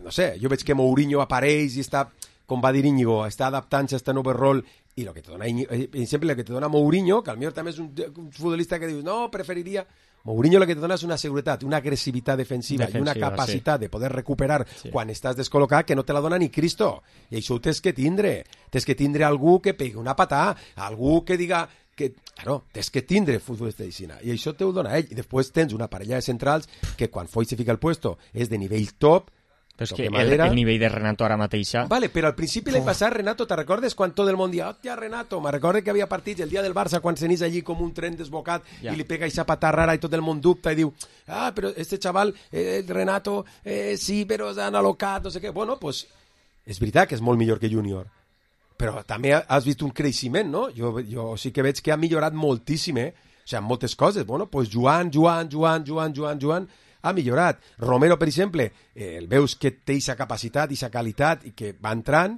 no sé, jo veig que Mourinho apareix i està, com va dir Íñigo, està adaptant-se a este nou rol, i el que te dona, exemple, el que te dona Mourinho, que al millor també és un futbolista que dius, no, preferiria... Mourinho el que te dona és una seguretat, una agressivitat defensiva i una capacitat de poder recuperar quan estàs descol·locat que no te la dona ni Cristo. I això ho tens que tindre. Tens que tindre algú que pegui una patà, algú que diga... Claro, tens que tindre futbolista de Xina. I això te ho dona ell. I després tens una parella de centrals que quan Foy se fica al puesto és de nivell top. Però és que el nivell de Renato ara mateixa... Vale, però al principi l'any passat, Renato, te recordes quan tot el món dia, hòstia, Renato, me recordo que havia partits el dia del Barça quan s'anís allí com un tren desbocat i li pega aquesta patà rara i tot el món dubta i diu, però este chaval, Renato, sí, però s'han alocat, no sé què. Bueno, pues, és veritat que és molt millor que Júnior, però també has vist un creixement, no? Jo sí que veig que ha millorat moltíssim, O sigui, moltes coses. Bueno, pues Joan, ha millorat. Romero, per exemple, el veus que té aquesta capacitat, aquesta qualitat i que va entrant,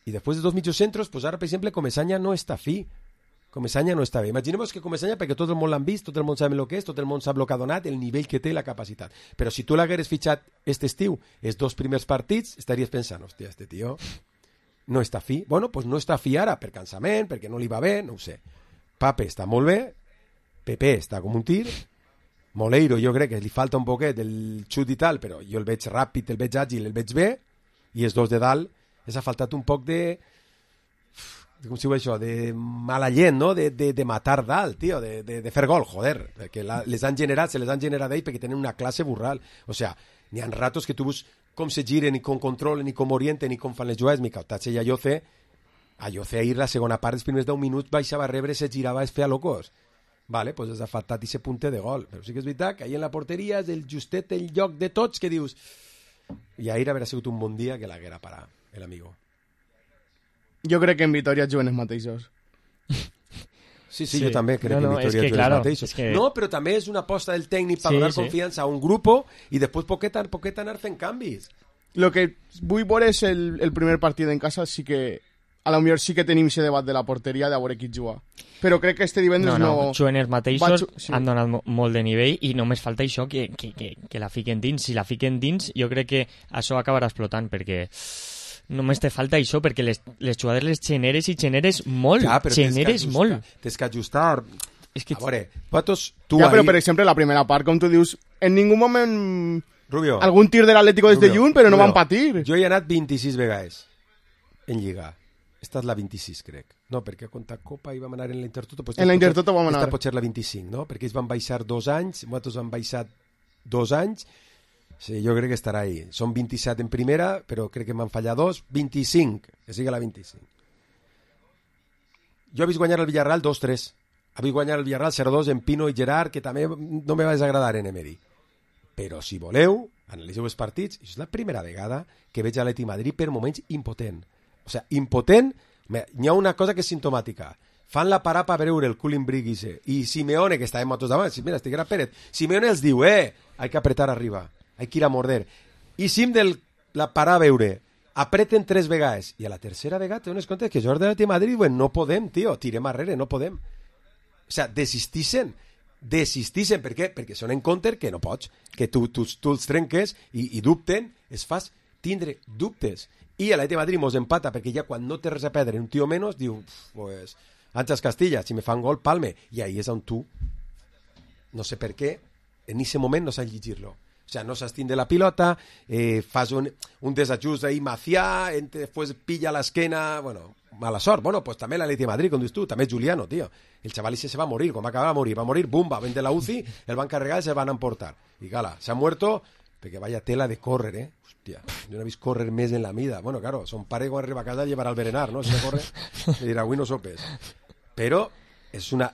i després de dos mitjocentros, pues ara, per exemple, Comesaña no està fi. Comesaña no està bé. Imaginem que Comesaña, perquè tot el món l'han vist, tot el món sap el que és, tot el món sap el que ha donat, el nivell que té i la capacitat. Però si tu l'hagueres fitxat este estiu, els 2 primers partits, estaries pensant, hòstia, este tio no està fi. Bueno, pues no està fi ara, per cansament, perquè no li va bé, no ho sé. Pape està molt bé, Pepe està com un tir, Moleiro jo crec que li falta un poquet del xut i tal, però jo el veig ràpid, el veig àgil, el veig bé, i els dos de dalt els ha faltat un poc de com si ho això, de mala gent, no? De matar dalt, tio, de fer gol, joder, perquè se les han generat ells perquè tenen una classe burral. O sea, n'hi ha ratos que tu veus com se giren i com controlen i com orienten i com fan les jugades. Micautatge i Ayoce ahir la segona part dels primers 10 minuts baixava a rebre, se girava, es feia locos. Vale, pues ha faltat aquest punt de gol. Però sí que és veritat que ahir en la porteria és el justet, el lloc de tots que dius... I ahir haurà sigut un bon dia que l'haguera parat, l'amigo. Jo crec que en Vitoria juguen els mateixos. Sí, jo també crec que en Vitoria juguen els mateixos. No, però també és una aposta del tècnic per donar confiança a un grup i després poquet anar fent canvis. Lo que vull veure és el primer partit en casa, sí que a lo millor sí que tenim aquest debat de la porteria de veure qui juga. Però crec que este divendres no... Juguen els mateixos, han donat molt de nivell i només falta això, que la fiquen dins. Si la fiquen dins, jo crec que això acabarà explotant, perquè només te falta això, perquè les jugades les generes i generes molt. Ja, generes molt. Tens que ajustar... És que... A veure, vosaltres... Ja, però per exemple, la primera part, com tu dius, en ningú moment... Rubio, algun tir de l'Atlético des de lluny, però no van patir. Jo he anat 26 vegades en Lliga. Esta és la 26, crec. No, perquè contra Copa hi vam anar en la Intertoto. Pues en la Intertoto vam anar. Esta pot ser la 25, no? Perquè ells van baixar 2 anys, nosaltres vam baixar 2 anys. Sí, jo crec que estarà ahí. Són 27 en primera, però crec que m'han fallat 2. 25, que sigui la 25. Jo he vist guanyar el Villarreal 2-3. He vist guanyar el Villarreal 0-2 en Pino i Gerard, que també no me va desagradar en Emery. Però si voleu, analitzeu els partits, és la primera vegada que veig a l'Atlètic Madrid per moments impotent. O sea, impotent. N'hi ha una cosa que és simptomàtica. Fan la parada per veure el cooling brick i Simeone, que estava motos davant, mira, estiguera Pérez, Simeone els diu, hay que apretar arriba, hay que ir a morder. I Sim la parada a veure, apreten 3 vegades, i a la tercera vegada te dones compte que Jordi de Madrid diuen, no podem, tio, tirem arrere, no podem. O sea, desistixen, per què? Perquè són en counter que no pots, que tu els trenques i dubten, es fas tindre dubtes. I a l'Atlètic de Madrid mos empata perquè ja quan no té res a perdre un tio menys diu, pues, Àngels Castilla, si me fan gol, palme. I ahí és on tu, no sé per què, en aquest moment no saps llegir-lo. O sea, no saps tindre la pilota, fas un desajust ahí Macià, después pilla l'esquena, bueno, mala sort. Bueno, pues també l'Atlètic de Madrid, com dius tu, també Juliano, tío. El chaval ese se va a morir, quan va acabar va a morir, bum, va vendre la UCI, el van carregar i se van a emportar. I gala, se ha muerto, perquè vaya tela de córrer, Hòstia, jo no he vist córrer més en la vida. Bueno, claro, son pare quan arriba a casa llevarà al berenar, ¿no? Si no corre, le dirà, avui no sopes. Però és una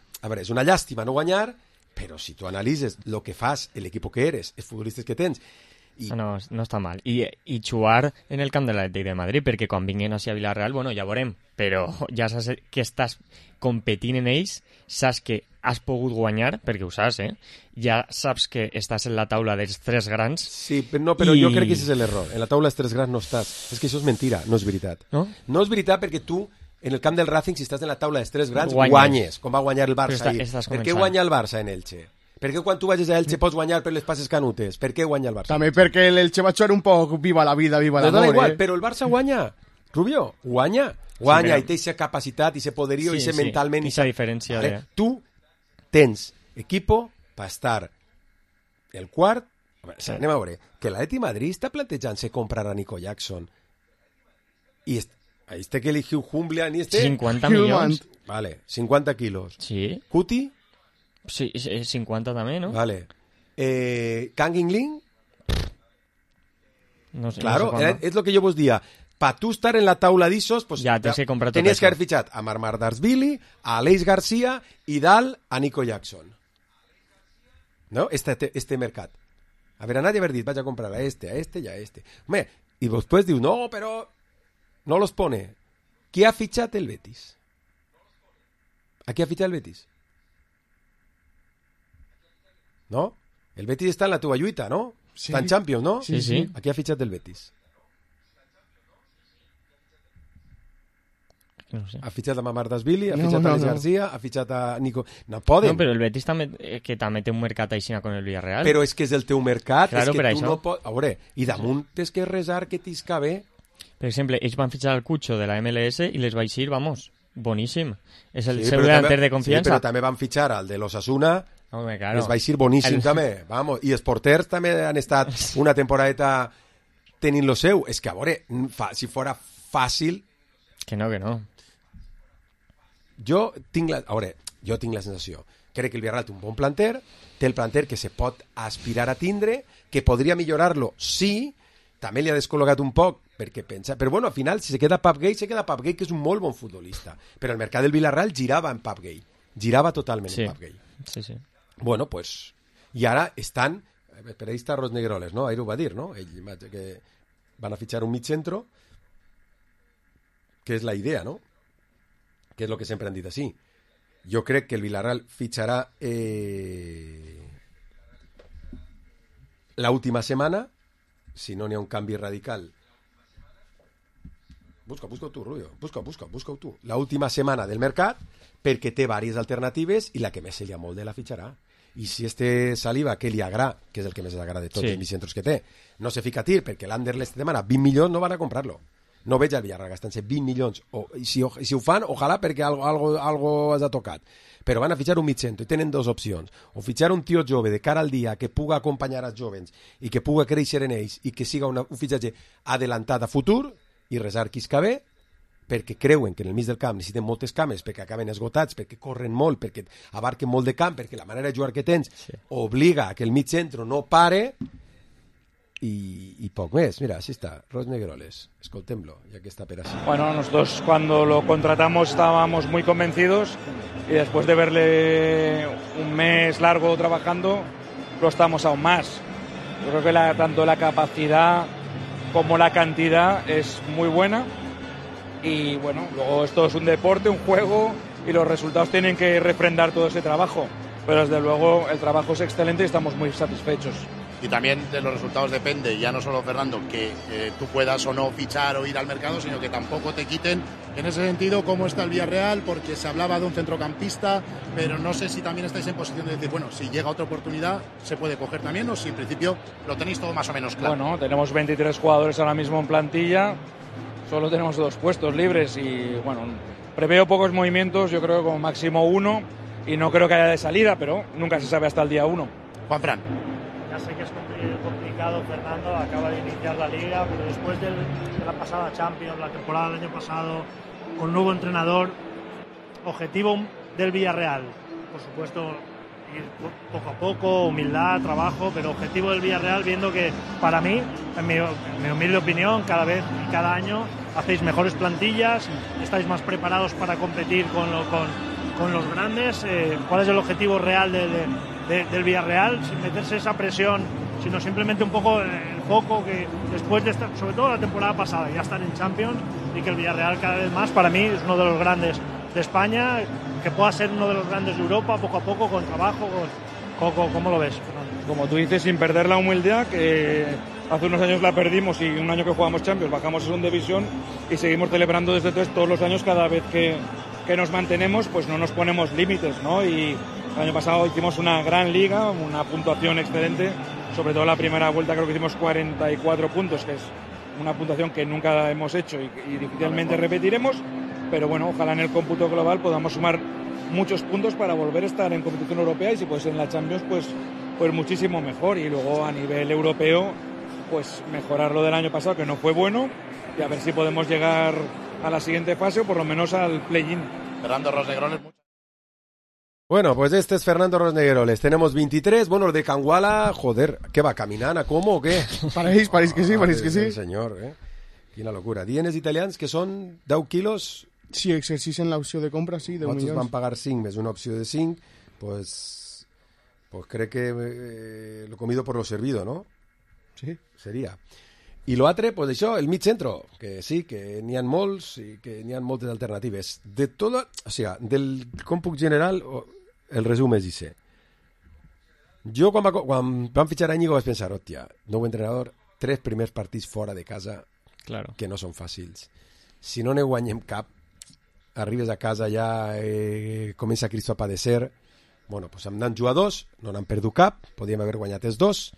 llàstima no guanyar, però si tu analitzes el que fas, l'equip que eres, els futbolistes que tens... No està mal. I jugar en el camp de l'Atlètic de Madrid, perquè quan vinguin a Villarreal, bueno, ja veurem, però ja saps que estàs competint en ells, saps que has pogut guanyar, perquè ho saps, ja saps que estàs en la taula dels 3 grans. Sí, però jo crec que aquest és l'error. En la taula dels 3 grans no estàs. És que això és mentira, no és veritat. No? No és veritat perquè tu, en el camp del Racing, si estàs en la taula dels 3 grans, guanyes, com va guanyar el Barça ahir. Per què guanya el Barça en Elche? Per què quan tu vagis a Elche pots guanyar per les passes canutes? Per què guanya el Barça? També perquè l'Elche va jugar un poc viva la vida, viva l'amor. No dona igual, però el Barça guanya. Rubio, guanya, sí, i té aquesta capacitat, i ese poderío, i ese mentalment. I esa diferència. Vale? Tu tens equipo per estar el quart. Anem a veure, que l'Atlètic de Madrid està plantejant-se comprar a Nico Jackson. I ahí este que eligió Humblia ni este 50 milions. Vale, 50 quilos. Sí. Cuti? Sí, 50 també, no? Vale. Kang In-ling? No sé. Claro, no sé es lo que yo vos decía. Para tú estar en la taula d'Isos, pues ja tens que comprar tot tenies això. que haver fitxat a Marmardashvili, a Aleix Garcia i dalt a Nico Jackson. ¿No? Este mercat. Haver anat i haver dit, vaig a comprar a este y a este. Home, i després diu, no, pero no los pone. Qui ha fitxat el Betis? ¿A qui ha fitxat el Betis? ¿No? El Betis está en la teva lluita, ¿no? Sí. Està en Champions, ¿no? Sí, sí. ¿A qui ha fitxat el Betis? No sé. Ha fitxat a Mamardashvili, ha fitxat a Alex García, ha fitxat a Nico... No poden. No, però el Betis també té un mercat així con el Villarreal. Però és que és el teu mercat, claro, és que tu això. no pots... A veure, i damunt tens que resar que t'isca bé. Per exemple, ells van fitxar el Cucho de la MLS i les vaig dir, vamos, boníssim. És el Sí, seu però delanter també- de confiança. Sí, però també van fitxar al de l'Osasuna, Home, claro. les vaig dir boníssim també. Vamos. I els porters també han estat una temporadeta tenint lo seu. És que, a veure, si fora fàcil... Que no. Jo tinc la sensació. Crec que el Villarreal té un bon planter, té el planter que se pot aspirar a tindre, que podria millorar-lo, sí, també li ha descol·locat un poc, perquè pensa... Però bueno, al final, si se queda Pap Gay, que és un molt bon futbolista. Però el mercat del Villarreal girava en Pap Gay. Girava totalment en Pap Gay. Sí. Bueno, pues... I ara estan... Per ahí està Rosnegroles, no? Ahir ho va dir, no? Ell, que van a fitxar un mitjentro, que és la idea, no? Que és el que sempre han dit així. Jo crec que el Villarreal fitxarà l'última setmana, si no n'hi ha un canvi radical. Busca-ho tu, Rubio. Busca-ho tu. L'última setmana del mercat, perquè té diverses alternatives i la que més se li amolda la fitxarà. I si este Saliba, que li agrada, que és el que més agrada de tots els mitjentros que té, no se fica a tir perquè l'Anderlecht demana 20 milions, no van a comprar-lo. No veig al Villarreal gastant-se 20 milions. I si ho fan, ojalà perquè algo has tocat. Però van a fitxar un mitjentro i tenen 2 opcions. O fitxar un tio jove de cara al dia que puga acompanyar als jovens i que puga créixer en ells i que siga un fitxatge adelantat a futur i resar qui esca bé, perquè creuen que en el mig del camp necessiten moltes cames, perquè acaben esgotats, perquè corren molt, perquè abarquen molt de camp, perquè la manera de jugar que tens obliga a que el mig centro no pare y poco més. Mira, así está, Rosnegroles, escoltémoslo, ya que está per así. Bueno, nosotros cuando lo contratamos estábamos muy convencidos y después de verle un mes largo trabajando, lo estamos aún más. Yo creo que tanto la capacidad como la cantidad es muy buena y bueno, luego esto es un deporte, un juego, y los resultados tienen que refrendar todo ese trabajo, pero desde luego el trabajo es excelente y estamos muy satisfechos. Y también de los resultados depende, ya no solo, Fernando, que tú puedas o no fichar o ir al mercado, sino que tampoco te quiten. En ese sentido, ¿cómo está el Villarreal? Porque se hablaba de un centrocampista, pero no sé si también estáis en posición de decir, bueno, si llega otra oportunidad, se puede coger también, o si en principio lo tenéis todo más o menos claro. Bueno, tenemos 23 jugadores ahora mismo en plantilla, solo tenemos 2 puestos libres y, bueno, preveo pocos movimientos, yo creo que como máximo 1, y no creo que haya de salida, pero nunca se sabe hasta el día 1. Juanfran. Ya sé que es complicado, Fernando, acaba de iniciar la Liga, pero después de la pasada Champions, la temporada del año pasado, con nuevo entrenador, objetivo del Villarreal, por supuesto, ir poco a poco, humildad, trabajo, pero objetivo del Villarreal, viendo que para mí, en mi humilde opinión, cada vez y cada año hacéis mejores plantillas, estáis más preparados para competir con los grandes. ¿Cuál es el objetivo real del Villarreal, sin meterse esa presión, sino simplemente un poco el foco que después de estar, sobre todo la temporada pasada, ya estar en Champions, y que el Villarreal cada vez más, para mí, es uno de los grandes de España, que pueda ser uno de los grandes de Europa, poco a poco, con trabajo, ¿cómo lo ves, Fernando? Como tú dices, sin perder la humildad, que hace unos años la perdimos y un año que jugamos Champions bajamos a segunda división y seguimos celebrando desde entonces todos los años, cada vez que nos mantenemos, pues no nos ponemos límites, ¿no? Y el año pasado hicimos una gran liga, una puntuación excelente, sobre todo la primera vuelta creo que hicimos 44 puntos, que es una puntuación que nunca hemos hecho y difícilmente repetiremos, pero bueno, ojalá en el cómputo global podamos sumar muchos puntos para volver a estar en competición europea, y si puede ser en la Champions, pues muchísimo mejor, y luego a nivel europeo, pues mejorar lo del año pasado, que no fue bueno, y a ver si podemos llegar a la siguiente fase o por lo menos al play-in. Fernando Rosnegroles. Bueno, pues este es Fernando Rosnegroles. Tenemos 23. Bueno, los de Canguala, joder, ¿qué va? ¿Caminant? ¿Cómo o què? Pareix que sí, pareix que sí. Senyor, Quina locura. Dienes italians que són 10 quilos. Si exercisen l'opció de compra, sí, 10 milions. Van pagar 5 més una opció de 5, pues crec que lo comido por lo servido, ¿no? Sí. Seria. I l'altre, pues això, el mig centro, que sí, que n'hi ha molts i que n'hi ha moltes alternatives. De tot, o sigui, del còmput general, el resum és ese. Jo, quan van fitxar a Íñigo, vaig pensar, hòstia, nou entrenador, 3 primers partits fora de casa, claro, que no són fàcils. Si no ne guanyem cap, arribes a casa ja, comença Cristo a padecer. Bueno, pues amb tants jugadors, no n'han perdut cap, podíem haver guanyat els 2.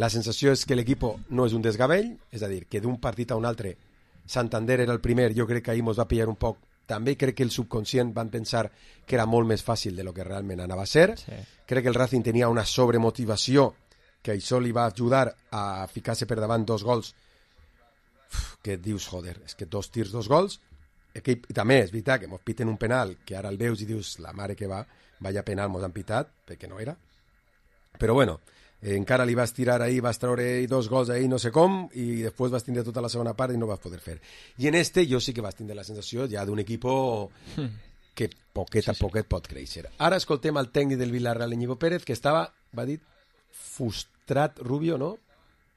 La sensació és que l'equip no és un desgavell, és a dir, que d'un partit a un altre, Santander era el primer, jo crec que ahir mos va pillar un poc, també crec que el subconscient van pensar que era molt més fàcil de lo que realment anava a ser. Sí. Crec que el Racing tenia una sobremotivació que això li va ajudar a ficar-se per davant 2 gols, que et dius, joder, és que 2 tirs, 2 gols, i també és veritat que mos piten un penal, que ara el veus i dius, la mare que va, vaya penal mos han pitat, perquè no era. Però bueno, encara li vas tirar ahí, vas treure 2 gols ahí no sé com, i després vas tindre tota la segona part i no vas poder fer. I en este jo sí que vas tindre la sensació ja d'un equip que poquet a poquet pot créixer. Ara escoltem el tècnic del Villarreal, Íñigo Pérez, que estava, va dir, frustrat, Rubio, no?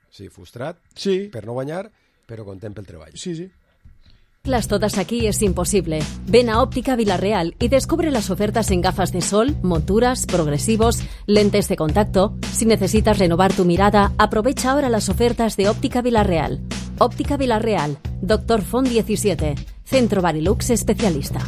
Sí, frustrat, sí, per no guanyar, però content pel treball. Sí, sí. Las todas aquí es imposible. Ven a Óptica Villarreal y descubre las ofertas en gafas de sol, monturas, progresivos, lentes de contacto. Si necesitas renovar tu mirada, aprovecha ahora las ofertas de Óptica Villarreal. Óptica Villarreal, Dr. Font 17, Centro Barilux especialista.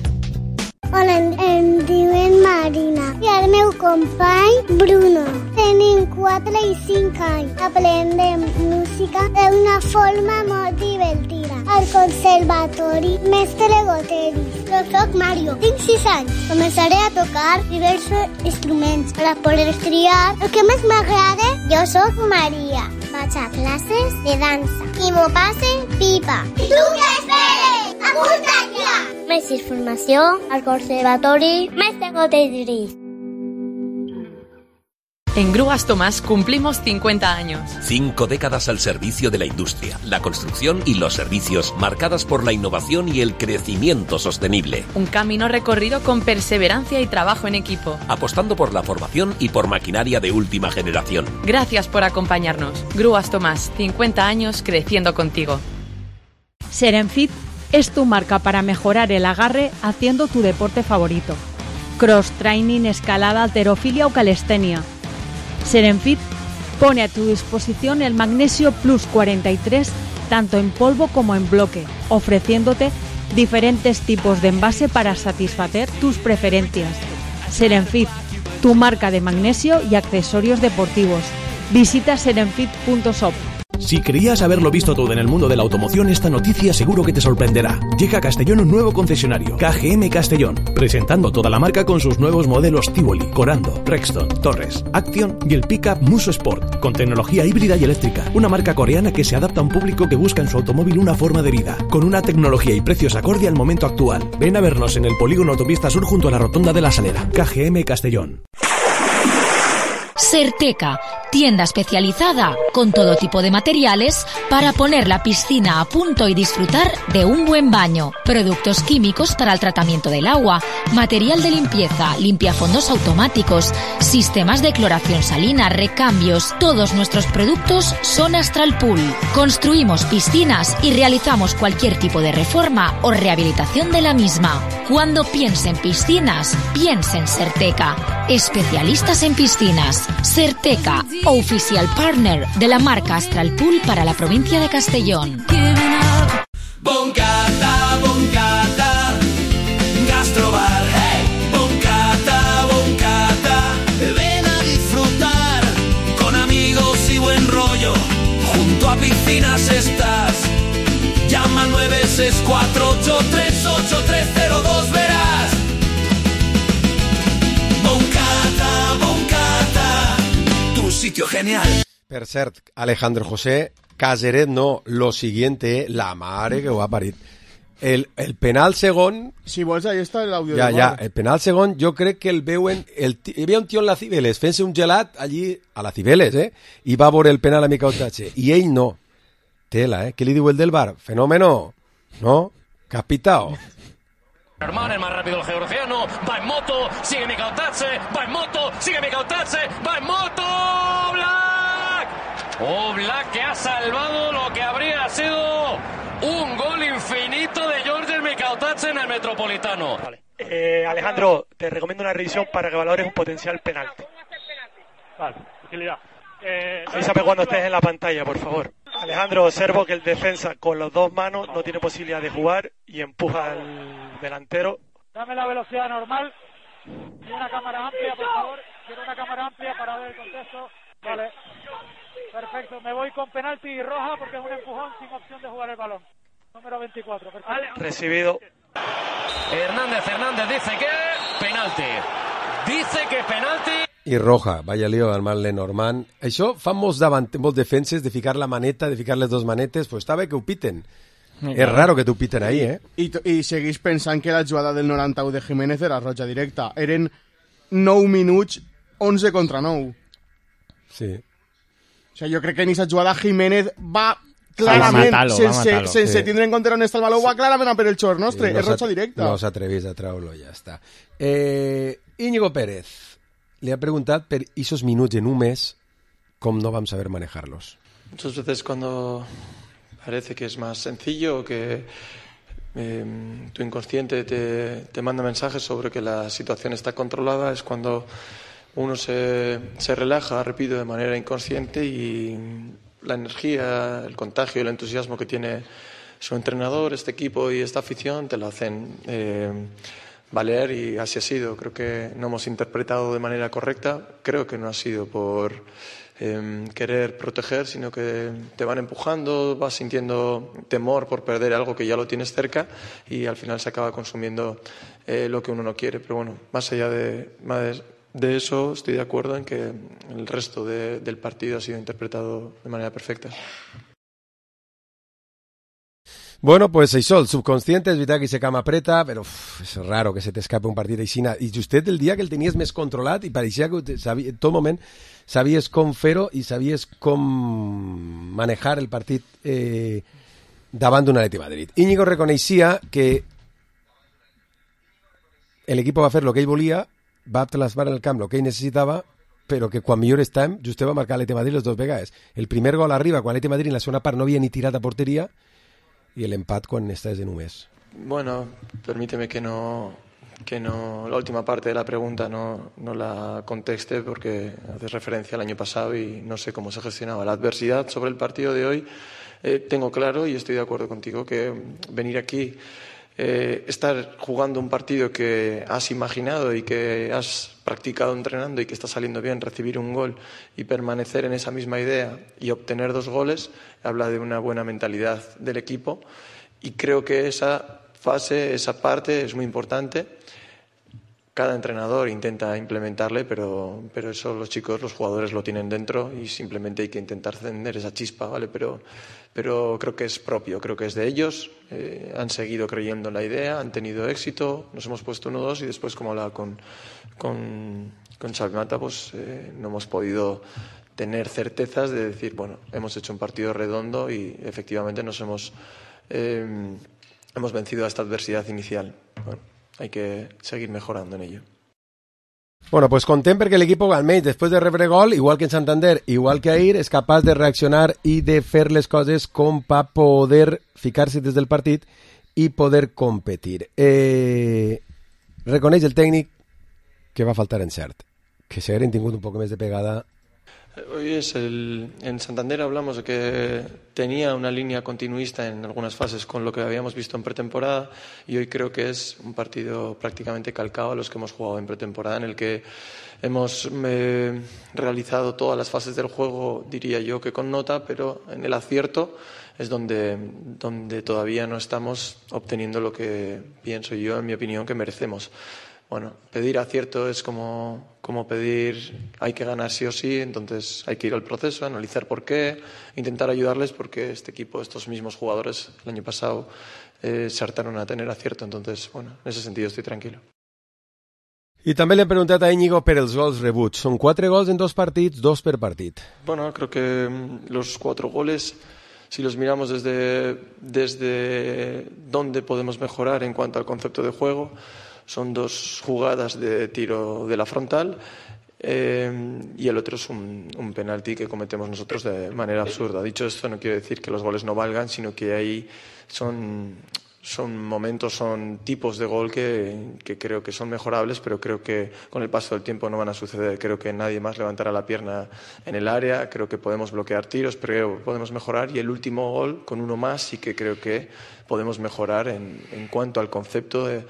Hola, em diuen Marina i el meu company Bruno. Tenim 4 i 5 anys. Aprendem música d'una forma molt divertida. Al conservatori Mestre Goteris. Jo soc Mario, tinc 6 anys. Començaré a tocar diversos instruments per a poder triar el que més m'agrada. Jo soc Maria. Vaig a classes de dansa i m'ho passe pipa. I tu què esperes? Apunta't ja! Més informació al Conservatori Mestre Goteris. En Grúas Tomás cumplimos 50 años. 5 décadas al servicio de la industria, la construcción y los servicios, marcadas por la innovación y el crecimiento sostenible. Un camino recorrido con perseverancia y trabajo en equipo. Apostando por la formación y por maquinaria de última generación. Gracias por acompañarnos. Grúas Tomás, 50 años creciendo contigo. Serenfit es tu marca para mejorar el agarre haciendo tu deporte favorito. Cross training, escalada, halterofilia o calistenia. Serenfit pone a tu disposición el Magnesio Plus 43 tanto en polvo como en bloque, ofreciéndote diferentes tipos de envase para satisfacer tus preferencias. Serenfit, tu marca de magnesio y accesorios deportivos. Visita serenfit.shop. Si creías haberlo visto todo en el mundo de la automoción, esta noticia seguro que te sorprenderá. Llega a Castellón un nuevo concesionario, KGM Castellón, presentando toda la marca con sus nuevos modelos Tivoli, Corando, Rexton, Torres, Action y el pickup Muso Sport, con tecnología híbrida y eléctrica. Una marca coreana que se adapta a un público que busca en su automóvil una forma de vida, con una tecnología y precios acorde al momento actual. Ven a vernos en el polígono Autopista Sur junto a la Rotonda de la Salera. KGM Castellón. Serteca, tienda especializada con todo tipo de materiales para poner la piscina a punto y disfrutar de un buen baño. Productos químicos para el tratamiento del agua, material de limpieza, limpiafondos automáticos, sistemas de cloración salina, recambios. Todos nuestros productos son Astral Pool. Construimos piscinas y realizamos cualquier tipo de reforma o rehabilitación de la misma. Cuando piense en piscinas, piense en Serteca. Especialistas en piscinas. Serteca, oficial partner de la marca Astral Pool para la provincia de Castellón. Boncata, boncata, gastrobar, hey. Boncata, boncata, ven a disfrutar con amigos y buen rollo. Junto a piscinas estás. Llama al 964838302, verás. Boncata, boncata, tu sitio genial. Per cert, Alejandro José Caseret, no, lo siguiente, la mare que ho ha parit. El penal segon... Si vols, ahí està l'àudio. Ja, el penal segon, jo crec que el veuen... Hi havia un tio en la Cibeles fent-se un gelat allí, a la Cibeles, i va veure el penal a Mica Otache. I ell no. Tela, Què li diu el del bar? Fenómeno, ¿no? Capitao. Germán, el más rápido, el georgiano, va en moto, sigue Mica Otache, va en moto, sigue Mica Otache, va en moto, Oblak. Oblak que ha salvado lo que habría sido un gol infinito de Georges Mica Otache en el Metropolitano. Vale. Alejandro, te recomiendo una revisión para que valores un potencial penalti. Vale, tranquilidad. Avísame cuando estés en la pantalla, por favor. Alejandro, observo que el defensa con las dos manos no tiene posibilidad de jugar y empuja al delantero. Dame la velocidad normal y una cámara amplia, por favor. Quiero una cámara amplia para ver el contexto. Vale. Perfecto, me voy con penalti y roja porque es un empujón sin opción de jugar el balón. Número 24. Perfecto. Recibido. Hernández dice que penalti. Dice que penalti. I roja, vaya lío del mal Lenormand. Això fa molts defenses de ficar la maneta, de ficar les dos manetes, pues està bé que ho piten. És raro que t'ho piten ahí, I seguís pensant que la jugada del 91 de Jiménez era roja directa. Eren 9 minuts, 11 contra 9. Sí. O sigui, jo crec que en aquesta jugada Jiménez va clarament, sense tindre en compte on està el baló, va clarament a per el xor nostre, és roja directa. No s'atrevís a treure-lo, ja està. Íñigo Pérez le ha preguntado por esos minutos en un mes, ¿cómo no vamos a saber manejarlos? Muchas veces cuando parece que es más sencillo, que tu inconsciente te manda mensajes sobre que la situación está controlada, es cuando uno se relaja, repito, de manera inconsciente, y la energía, el contagio, el entusiasmo que tiene su entrenador, este equipo y esta afición te lo hacen valer, y así ha sido. Creo que no hemos interpretado de manera correcta. Creo que no ha sido por querer proteger, sino que te van empujando, vas sintiendo temor por perder algo que ya lo tienes cerca, y al final se acaba consumiendo lo que uno no quiere. Pero bueno, más allá de eso, estoy de acuerdo en que el resto del partido ha sido interpretado de manera perfecta. Bueno, pues això, el subconsciente, és veritat que se cama preta, però és raro que se t'escape un partit així. I justet el dia que el tenies més controlat i pareixia que en tot moment sabies com fer-ho i sabies com manejar el partit davant d'un Atleti Madrid. Íñigo reconeixia que l'equip va fer el que ell volia, va plasmar en el camp el que ell necessitava, però que quan millor estàvem, just va marcar l'Atleti Madrid les dues vegades. El primer gol arriba quan l'Atleti Madrid en la segona part no havia ni tirat a porteria, i l'empat quan estàs en un mes. Bueno, permíteme que no la última parte de la pregunta no la conteste porque haces referencia al año pasado y no sé cómo se gestionaba la adversidad. Sobre el partido de hoy tengo claro y estoy de acuerdo contigo que venir aquí, estar jugando un partido que has imaginado y que has practicado entrenando y que está saliendo bien, recibir un gol y permanecer en esa misma idea y obtener 2 goles, habla de una buena mentalidad del equipo y creo que esa fase, esa parte es muy importante. Cada entrenador intenta implementarle, pero eso los chicos, los jugadores lo tienen dentro y simplemente hay que intentar encender esa chispa, ¿vale? Pero creo que es propio, creo que es de ellos. Han seguido creyendo en la idea, han tenido éxito, nos hemos puesto 1-2 y después, como hablaba con Xavi Mata, pues no hemos podido tener certezas de decir, bueno, hemos hecho un partido redondo y efectivamente nos hemos vencido a esta adversidad inicial. Bueno, hay que seguir mejorando en ello. Bueno, pues content perquè l'equip almenys després de rebre gol, igual que en Santander, igual que ahir, és capaç de reaccionar i de fer les coses com per poder ficar-se des del partit i poder competir. Reconeix el tècnic que va faltar encert, que si hagueren tingut un poc més de pegada. Hoy en Santander hablamos de que tenía una línea continuista en algunas fases con lo que habíamos visto en pretemporada y hoy creo que es un partido prácticamente calcado a los que hemos jugado en pretemporada, en el que hemos realizado todas las fases del juego, diría yo que con nota, pero en el acierto es donde todavía no estamos obteniendo lo que pienso yo, en mi opinión, que merecemos. Bueno, pedir acierto es como pedir hay que ganar sí o sí, entonces hay que ir al proceso, analizar por qué, intentar ayudarles porque este equipo, estos mismos jugadores el año pasado se hartaron a tener acierto, entonces, bueno, en ese sentido estoy tranquilo. I també li he preguntat a Íñigo per els gols rebuts. Són 4 gols en 2 partits, 2 per partit. Bueno, creo que los 4 goles, si los miramos desde dónde podemos mejorar en cuanto al concepto de juego, son 2 jugadas de tiro de la frontal y el otro es un penalti que cometemos nosotros de manera absurda. Dicho esto, no quiere decir que los goles no valgan, sino que ahí son momentos, son tipos de gol que creo que son mejorables, pero creo que con el paso del tiempo no van a suceder. Creo que nadie más levantará la pierna en el área, creo que podemos bloquear tiros, pero podemos mejorar. Y el último gol, con uno más, sí que creo que podemos mejorar en cuanto al concepto de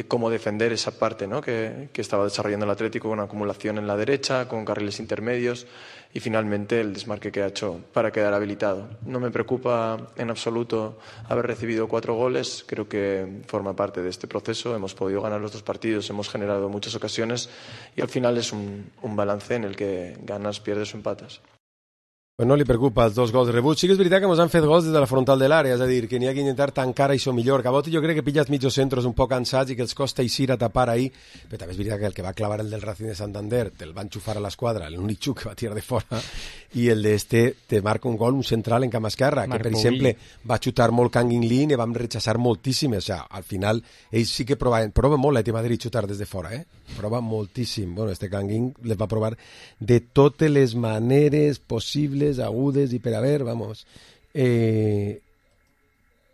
cómo defender esa parte, ¿no? que estaba desarrollando el Atlético, con una acumulación en la derecha, con carriles intermedios y finalmente el desmarque que ha hecho para quedar habilitado. No me preocupa en absoluto haber recibido 4 goles, creo que forma parte de este proceso, hemos podido ganar los 2 partidos, hemos generado muchas ocasiones y al final es un balance en el que ganas, pierdes o empatas. Pues no li preocupa els 2 gols rebuts. Sí que és veritat que ens han fet gols des de la frontal de l'àrea, és a dir, que n'hi ha que intentar tancar això millor. Cabot jo crec que pilles mitjos centros un poc cansats i que els costa eixir a tapar ahí, però també és veritat que el que va clavar el del Racing de Santander te'l va enxufar a l'esquadra, l'únic xuc que va tirar de fora, i el d'este te marca un gol, un central en camp esquerra, que per exemple va xutar molt Kangin Lin i vam rechazar moltíssimes. O sigui, al final ells sí que proven molt l'Atlètic de Madrid xutar des de fora, prova moltíssim. Bueno, este Kangin les va provar de totes les maneres possibles, agudes i per haver, vamos. Per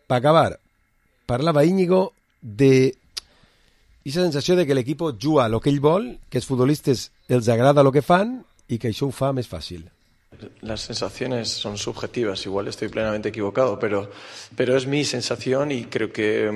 acabar, parlava Íñigo de aquesta sensació de que l'equip juga el que ell vol, que els futbolistes els agrada el que fan i que això ho fa més fàcil. Las sensaciones son subjetivas, igual estoy plenamente equivocado, pero es mi sensación y creo que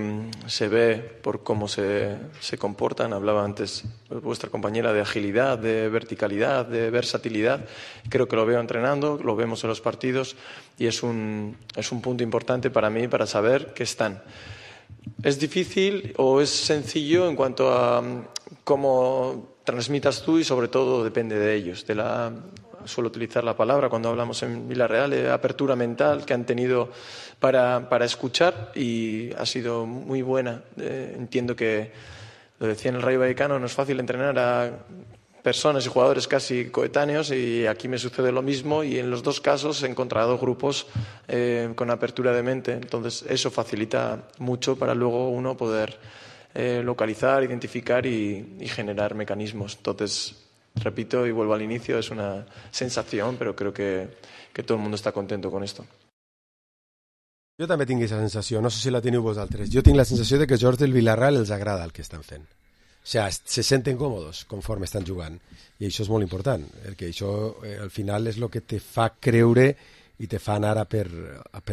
se ve por cómo se comportan. Hablaba antes vuestra compañera de agilidad, de verticalidad, de versatilidad. Creo que lo veo entrenando, lo vemos en los partidos y es un punto importante para mí para saber que están. ¿Es difícil o es sencillo en cuanto a cómo transmitas tú y sobre todo depende de ellos, suelo utilizar la palabra cuando hablamos en Villarreal, de apertura mental que han tenido para escuchar y ha sido muy buena. Entiendo que, lo decía en el Rayo Vallecano, no es fácil entrenar a personas y jugadores casi coetáneos y aquí me sucede lo mismo y en los 2 casos he encontrado grupos con apertura de mente. Entonces eso facilita mucho para luego uno poder localizar, identificar y generar mecanismos. Entonces, repito y vuelvo al inicio, es una sensación, pero creo que todo el mundo está contento con esto. Jo també tinc aquesta sensació, no sé si la teniu vosaltres. Jo tinc la sensació de que els jugadors del Villarreal els agrada el que estan fent. O sea, se senten còmodes conforme estan jugant. I això és molt important, perquè això al final és el que te fa creure i te fa anar a per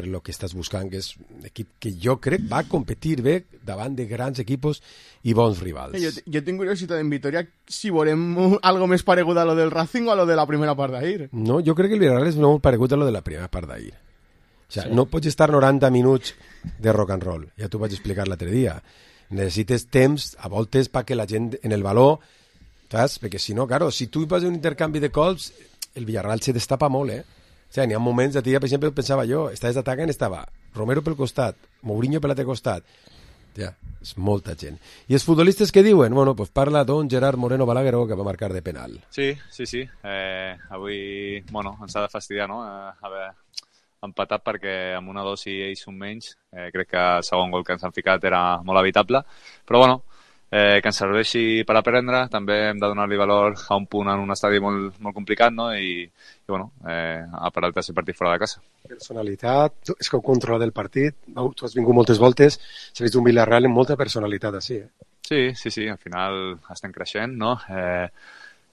lo que estàs buscant, que és un equip que jo crec va competir bé davant de grans equipos i bons rivals. Jo tinc curiositat en Vitoria si veurem algo més paregut a lo del Racing o a lo de la primera part d'ahir. No, jo crec que el Villarreal és molt paregut a lo de la primera part d'ahir. O sea, no pots estar 90 minuts de rock and roll, ja t'ho vaig explicar l'altre dia. Necessites temps, a voltes, perquè la gent en el valor, saps? Perquè si no, claro, si tu vas a un intercanvi de colps, el Villarreal se destapa molt, O sigui, n'hi ha moments, per exemple, pensava jo, estaves d'atacant, estava Romero pel costat, Mourinho per l'altre costat. Ja, és molta gent. I els futbolistes què diuen? Bueno, pues parla don Gerard Moreno Balagueró, que va marcar de penal. Sí. Avui, bueno, ens ha de fastidiar, no? Haver empatat perquè amb 1-2 i ells un menys, crec que el segon gol que ens han ficat era molt evitable, però bueno, que ens serveixi per aprendre, també hem de donar-li valor a un punt en un estadi molt, molt complicat, no? I bueno, a per el tercer partit fora de casa. Personalitat, és que ho controla del partit, no? Tu has vingut moltes voltes, s'ha vist un Villarreal amb molta personalitat així, Sí, al final estem creixent, no?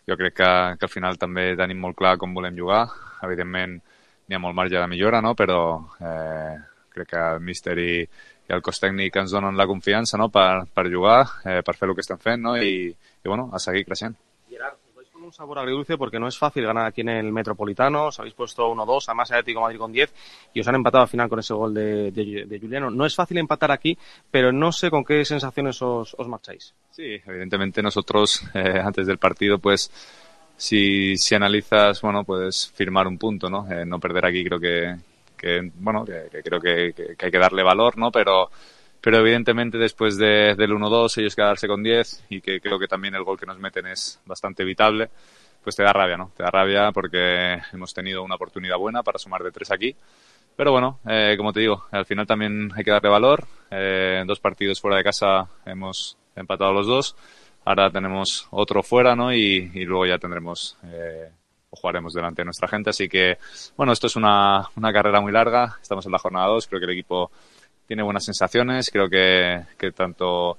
Jo crec que al final també tenim molt clar com volem jugar, evidentment n'hi ha molt marge de millora, no? Però crec que el míster i el cos tècnic ens donen la confiança, no? per jugar, per fer el que estem fent, no? I bueno, a seguir creixent. Gerard, os vais con un sabor agridulce porque no es fácil ganar aquí en el Metropolitano, os habéis puesto 1-2, además el Atlético de Madrid con 10 y os han empatado al final con ese gol de Juliano. No es fácil empatar aquí, pero no sé con qué sensaciones os marcháis. Sí, evidentemente nosotros antes del partido, pues si analizas, bueno, puedes firmar un punto, ¿no? No perder aquí creo que creo que hay que darle valor, ¿no? Pero evidentemente después del 1-2 ellos quedarse con 10 y que creo que también el gol que nos meten es bastante evitable, pues te da rabia, ¿no? Te da rabia porque hemos tenido una oportunidad buena para sumar de 3 aquí. Pero bueno, como te digo, al final también hay que darle valor. En 2 partidos fuera de casa hemos empatado los 2. Ahora tenemos otro fuera, ¿no? Y luego ya tendremos o jugaremos delante de nuestra gente. Así que, bueno, esto es una carrera muy larga. Estamos en la jornada 2. Creo que el equipo tiene buenas sensaciones. Creo que tanto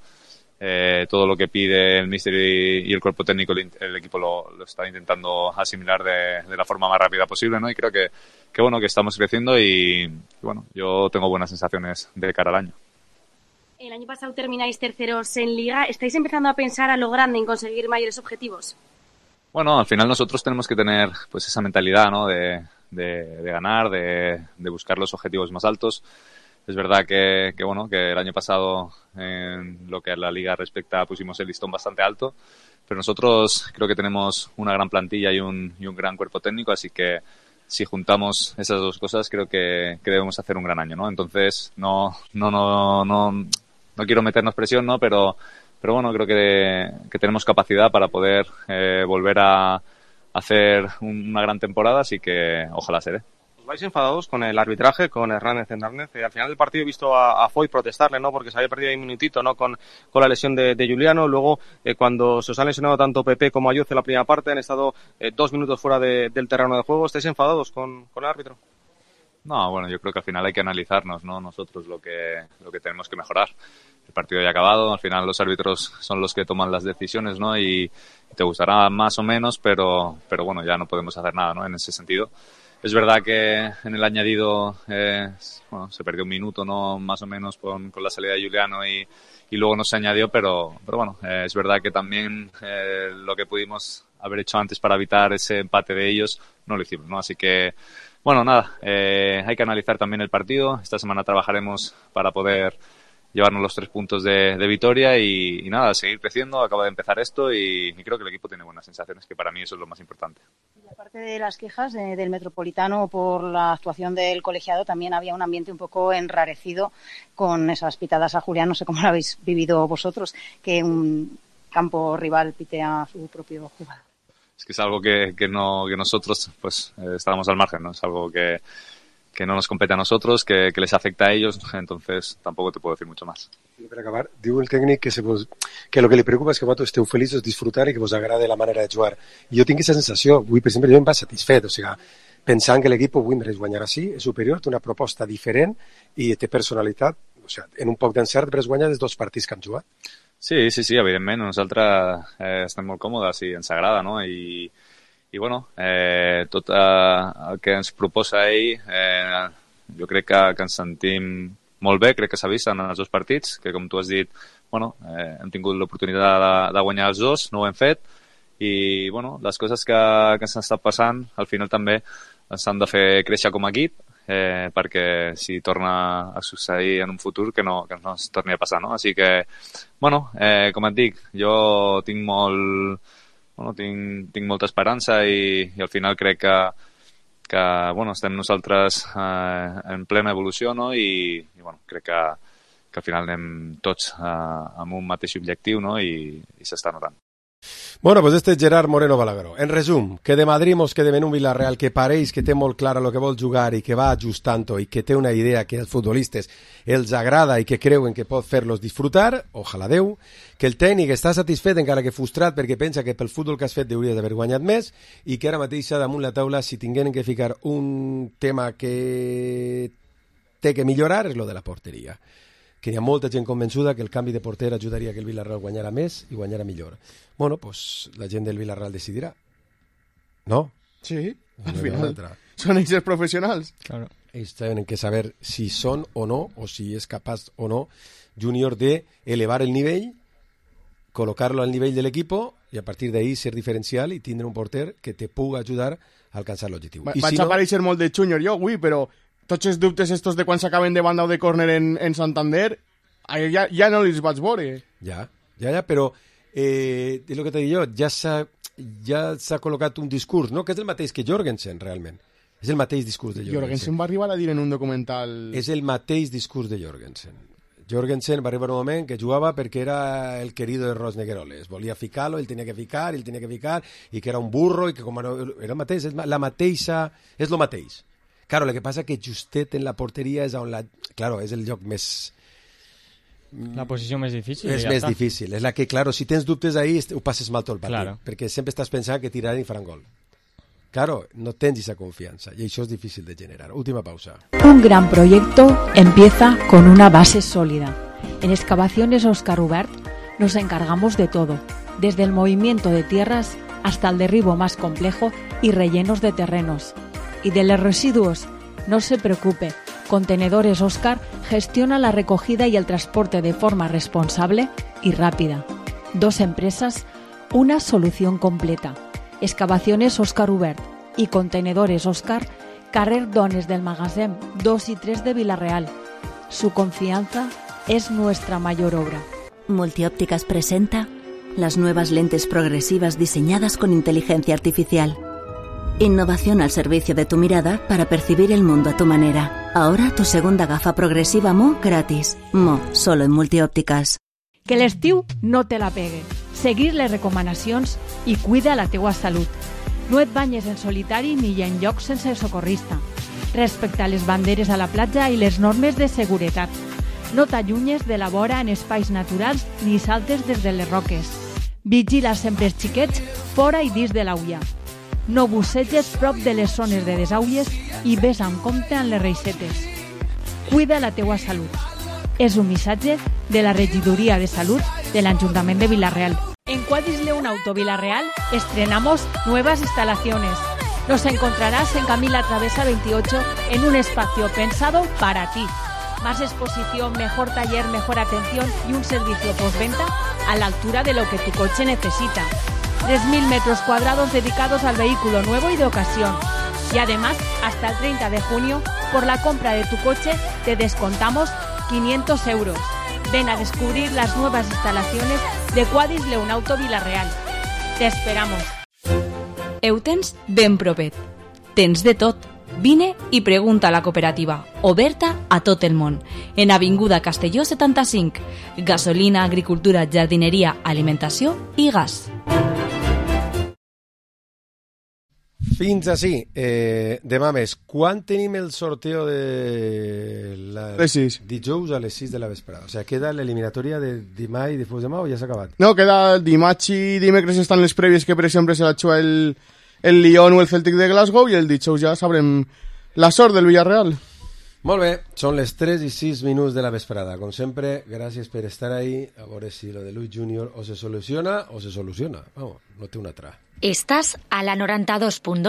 todo lo que pide el míster y el cuerpo técnico, el equipo lo está intentando asimilar de la forma más rápida posible, ¿no? Y creo que bueno, que estamos creciendo y bueno, yo tengo buenas sensaciones de cara al año. El año pasado termináis terceros en Liga. ¿Estáis empezando a pensar a lo grande en conseguir mayores objetivos? Bueno, al final nosotros tenemos que tener pues esa mentalidad, ¿no? De ganar, de buscar los objetivos más altos. Es verdad que bueno, que el año pasado en lo que a la Liga respecta pusimos el listón bastante alto, pero nosotros creo que tenemos una gran plantilla y un gran cuerpo técnico, así que si juntamos esas dos cosas creo que debemos hacer un gran año, ¿no? Entonces no quiero meternos presión, ¿no? Pero bueno, creo que tenemos capacidad para poder volver a hacer una gran temporada, así que ojalá se dé. Os vais enfadados con el arbitraje, con Hernández Hernández. Al final del partido he visto a Foy protestarle, ¿no? Porque se había perdido ahí un minutito, ¿no? Con la lesión de Juliano. Luego, cuando se os han lesionado tanto Pepe como Ayuso en la primera parte, han estado 2 minutos fuera del terreno de juego. ¿Estáis enfadados con el árbitro? No, bueno, yo creo que al final hay que analizarnos, ¿no? Nosotros lo que tenemos que mejorar. El partido ya ha acabado, al final los árbitros son los que toman las decisiones, ¿no? Y te gustará más o menos, pero bueno, ya no podemos hacer nada, ¿no? En ese sentido. Es verdad que en el añadido se perdió un minuto, ¿no? Más o menos con la salida de Juliano y luego no se añadió, pero bueno, es verdad que también lo que pudimos haber hecho antes para evitar ese empate de ellos no lo hicimos, ¿no? Así que, bueno, nada, hay que analizar también el partido. Esta semana trabajaremos para poder llevarnos los 3 puntos de Vitoria y nada, seguir creciendo. Acaba de empezar esto y creo que el equipo tiene buenas sensaciones, que para mí eso es lo más importante. Y aparte de las quejas del Metropolitano por la actuación del colegiado, también había un ambiente un poco enrarecido con esas pitadas a Julián. No sé cómo lo habéis vivido vosotros, que un campo rival pite a su propio jugador. Es que es algo que nosotros pues estábamos al margen, ¿no? Es algo que no nos compete a nosotros, que les afecta a ellos, entonces tampoco te puedo decir mucho más. Per acabar, diu el tècnic que lo que li preocupa és que vosaltres esteu feliços, disfrutar i que vos agrade la manera de jugar. I jo tinc aquesta sensació, avui, per exemple, jo em va satisfet, o sigui, pensant que l'equip avui mereix guanyar així, és superior, té una proposta diferent i té personalitat. O sigui, en un poc d'encert mereix guanyar els 2 partits que han jugat. Sí, evidentment, nosaltres estem molt còmodes i ens agrada, no? I bueno, tot el que ens proposa ell, jo crec que ens sentim molt bé, crec que s'ha vist en els 2 partits, que com tu has dit, bueno, hem tingut l'oportunitat de guanyar els 2, no ho hem fet, i bueno, les coses que ens estan passant, al final també ens han de fer créixer com a equip, perquè si torna a succeir en un futur que no ens torni a passar, no? Així que, bueno, com et dic, jo tinc molta esperança i al final crec que bueno, estem nosaltres en plena evolució, no? I bueno, crec que al final anem tots amb un mateix objectiu, no? I s'està notant. Bueno, pues este és Gerard Moreno Balagueró. En resum, que de Madrid mos quedem en un Villarreal que pareix que té molt clara el que vol jugar i que va ajustant-ho i que té una idea que als futbolistes els agrada i que creuen que pot fer-los disfrutar, ojalà Déu, que el tècnic està satisfet encara que frustrat perquè pensa que pel futbol que has fet hauries d'haver guanyat més i que ara mateix damunt la taula, si tingueren que ficar un tema que té que millorar, és lo de la porteria. Que hi ha molta gent convençuda que el canvi de porter ajudaria que el Villarreal guanyara més i guanyara millor. Bueno, pues la gent del Villarreal decidirà. ¿No? Sí, al final són ells els professionals. Claro. Ells tenen que saber si són o no, o si és capaç o no Junior de elevar el nivell, colocarlo al nivell de l'equipo i a partir d'ahí ser diferencial i tindre un porter que te pugui ajudar a alcançar l'objectiu. Vaig si aparèixer molt de Junior jo avui, però tots els dubtes estos de quan s'acaben de banda o de córner en Santander ja no els vaig veure. Ja, però és el que t'he dit jo, ja s'ha col·locat un discurs, no? Que és el mateix que Jorgensen, realment. És el mateix discurs de Jorgensen. Jorgensen va arribar a dir en un documental... És el mateix discurs de Jorgensen. Jorgensen va arribar un moment que jugava perquè era el querido de Ros Negueroles. Volia ficar-lo, ell tenia que ficar, i que era un burro, i que com era el mateix, és el mateix. Claro, el que passa que justet en la porteria és on claro, és el lloc més... La posició més difícil. És més difícil. És la que, claro, si tens dubtes ahí, ho passes mal tot el partit. Claro. Perquè sempre estàs pensant que tiraran i faran gol. Claro, no tens esa confianza y eso es difícil de generar. Última pausa. Un gran proyecto empieza con una base sólida. En Excavaciones Óscar Ubert nos encargamos de todo, desde el movimiento de tierras hasta el derribo más complejo y rellenos de terrenos. Y de los residuos, no se preocupe, Contenedores Óscar gestiona la recogida y el transporte de forma responsable y rápida. 2 empresas, una solución completa. Excavaciones Óscar Ubert y Contenedores Óscar, carrer Dones del Magasin 2 y 3 de Villarreal. Su confianza es nuestra mayor obra. Multiópticas presenta las nuevas lentes progresivas diseñadas con inteligencia artificial. Innovación al servicio de tu mirada para percibir el mundo a tu manera. Ahora tu segunda gafa progresiva Mo gratis. Mo, solo en Multiòptiques. Que l'estiu no te la pegue. Seguir les recomanacions i cuida la teua salut. No et banyes en solitari ni en llocs sense socorrista. Respecta les banderes a la platja i les normes de seguretat. No t'allunyes de la vora en espais naturals ni saltes des de les roques. Vigila sempre els xiquets fora i dins de l'aulla. No busseges prop de les zones de desaules i ves amb compte amb les reixetes. Cuida la teua salut. És un missatge de la Regidoria de Salud de l'Ajuntament de Villarreal. En Quadris León Auto Villarreal estrenamos nuevas instalaciones. Nos encontrarás en Camila Travesa 28 en un espacio pensado para ti. Más exposición, mejor taller, mejor atención y un servicio postventa a la altura de lo que tu coche necesita. 3.000 metros cuadrados dedicados al vehículo nuevo y de ocasión. Y además, hasta el 30 de junio, por la compra de tu coche, te descontamos 500 euros. Ven a descubrir las nuevas instalaciones de Quadris León Auto Villarreal. Te esperamos. Ho tens ben propet. Tens de tot. Vine i pregunta a la cooperativa, oberta a tot el món, en Avinguda Castelló 75. Gasolina, agricultura, jardineria, alimentació i gas. Fins així. Demà més. Quan tenim el sorteo de les 6? Dijous a les 6 de la vesprada. O sigui, queda l'eliminatòria de demà i difuix demà o ja s'ha acabat? No, queda dimarts i dimecres estan les prèvies que, per exemple, se la juga el Lyon o el Celtic de Glasgow, i el dijous ja sabrem la sort del Villarreal. Molt bé, són les 3:06 de la vesprada. Com sempre, gràcies per estar ahí. A veure si lo de Luis Junior o se soluciona o se soluciona. Vamos, no té una altra. Estàs a la 92.2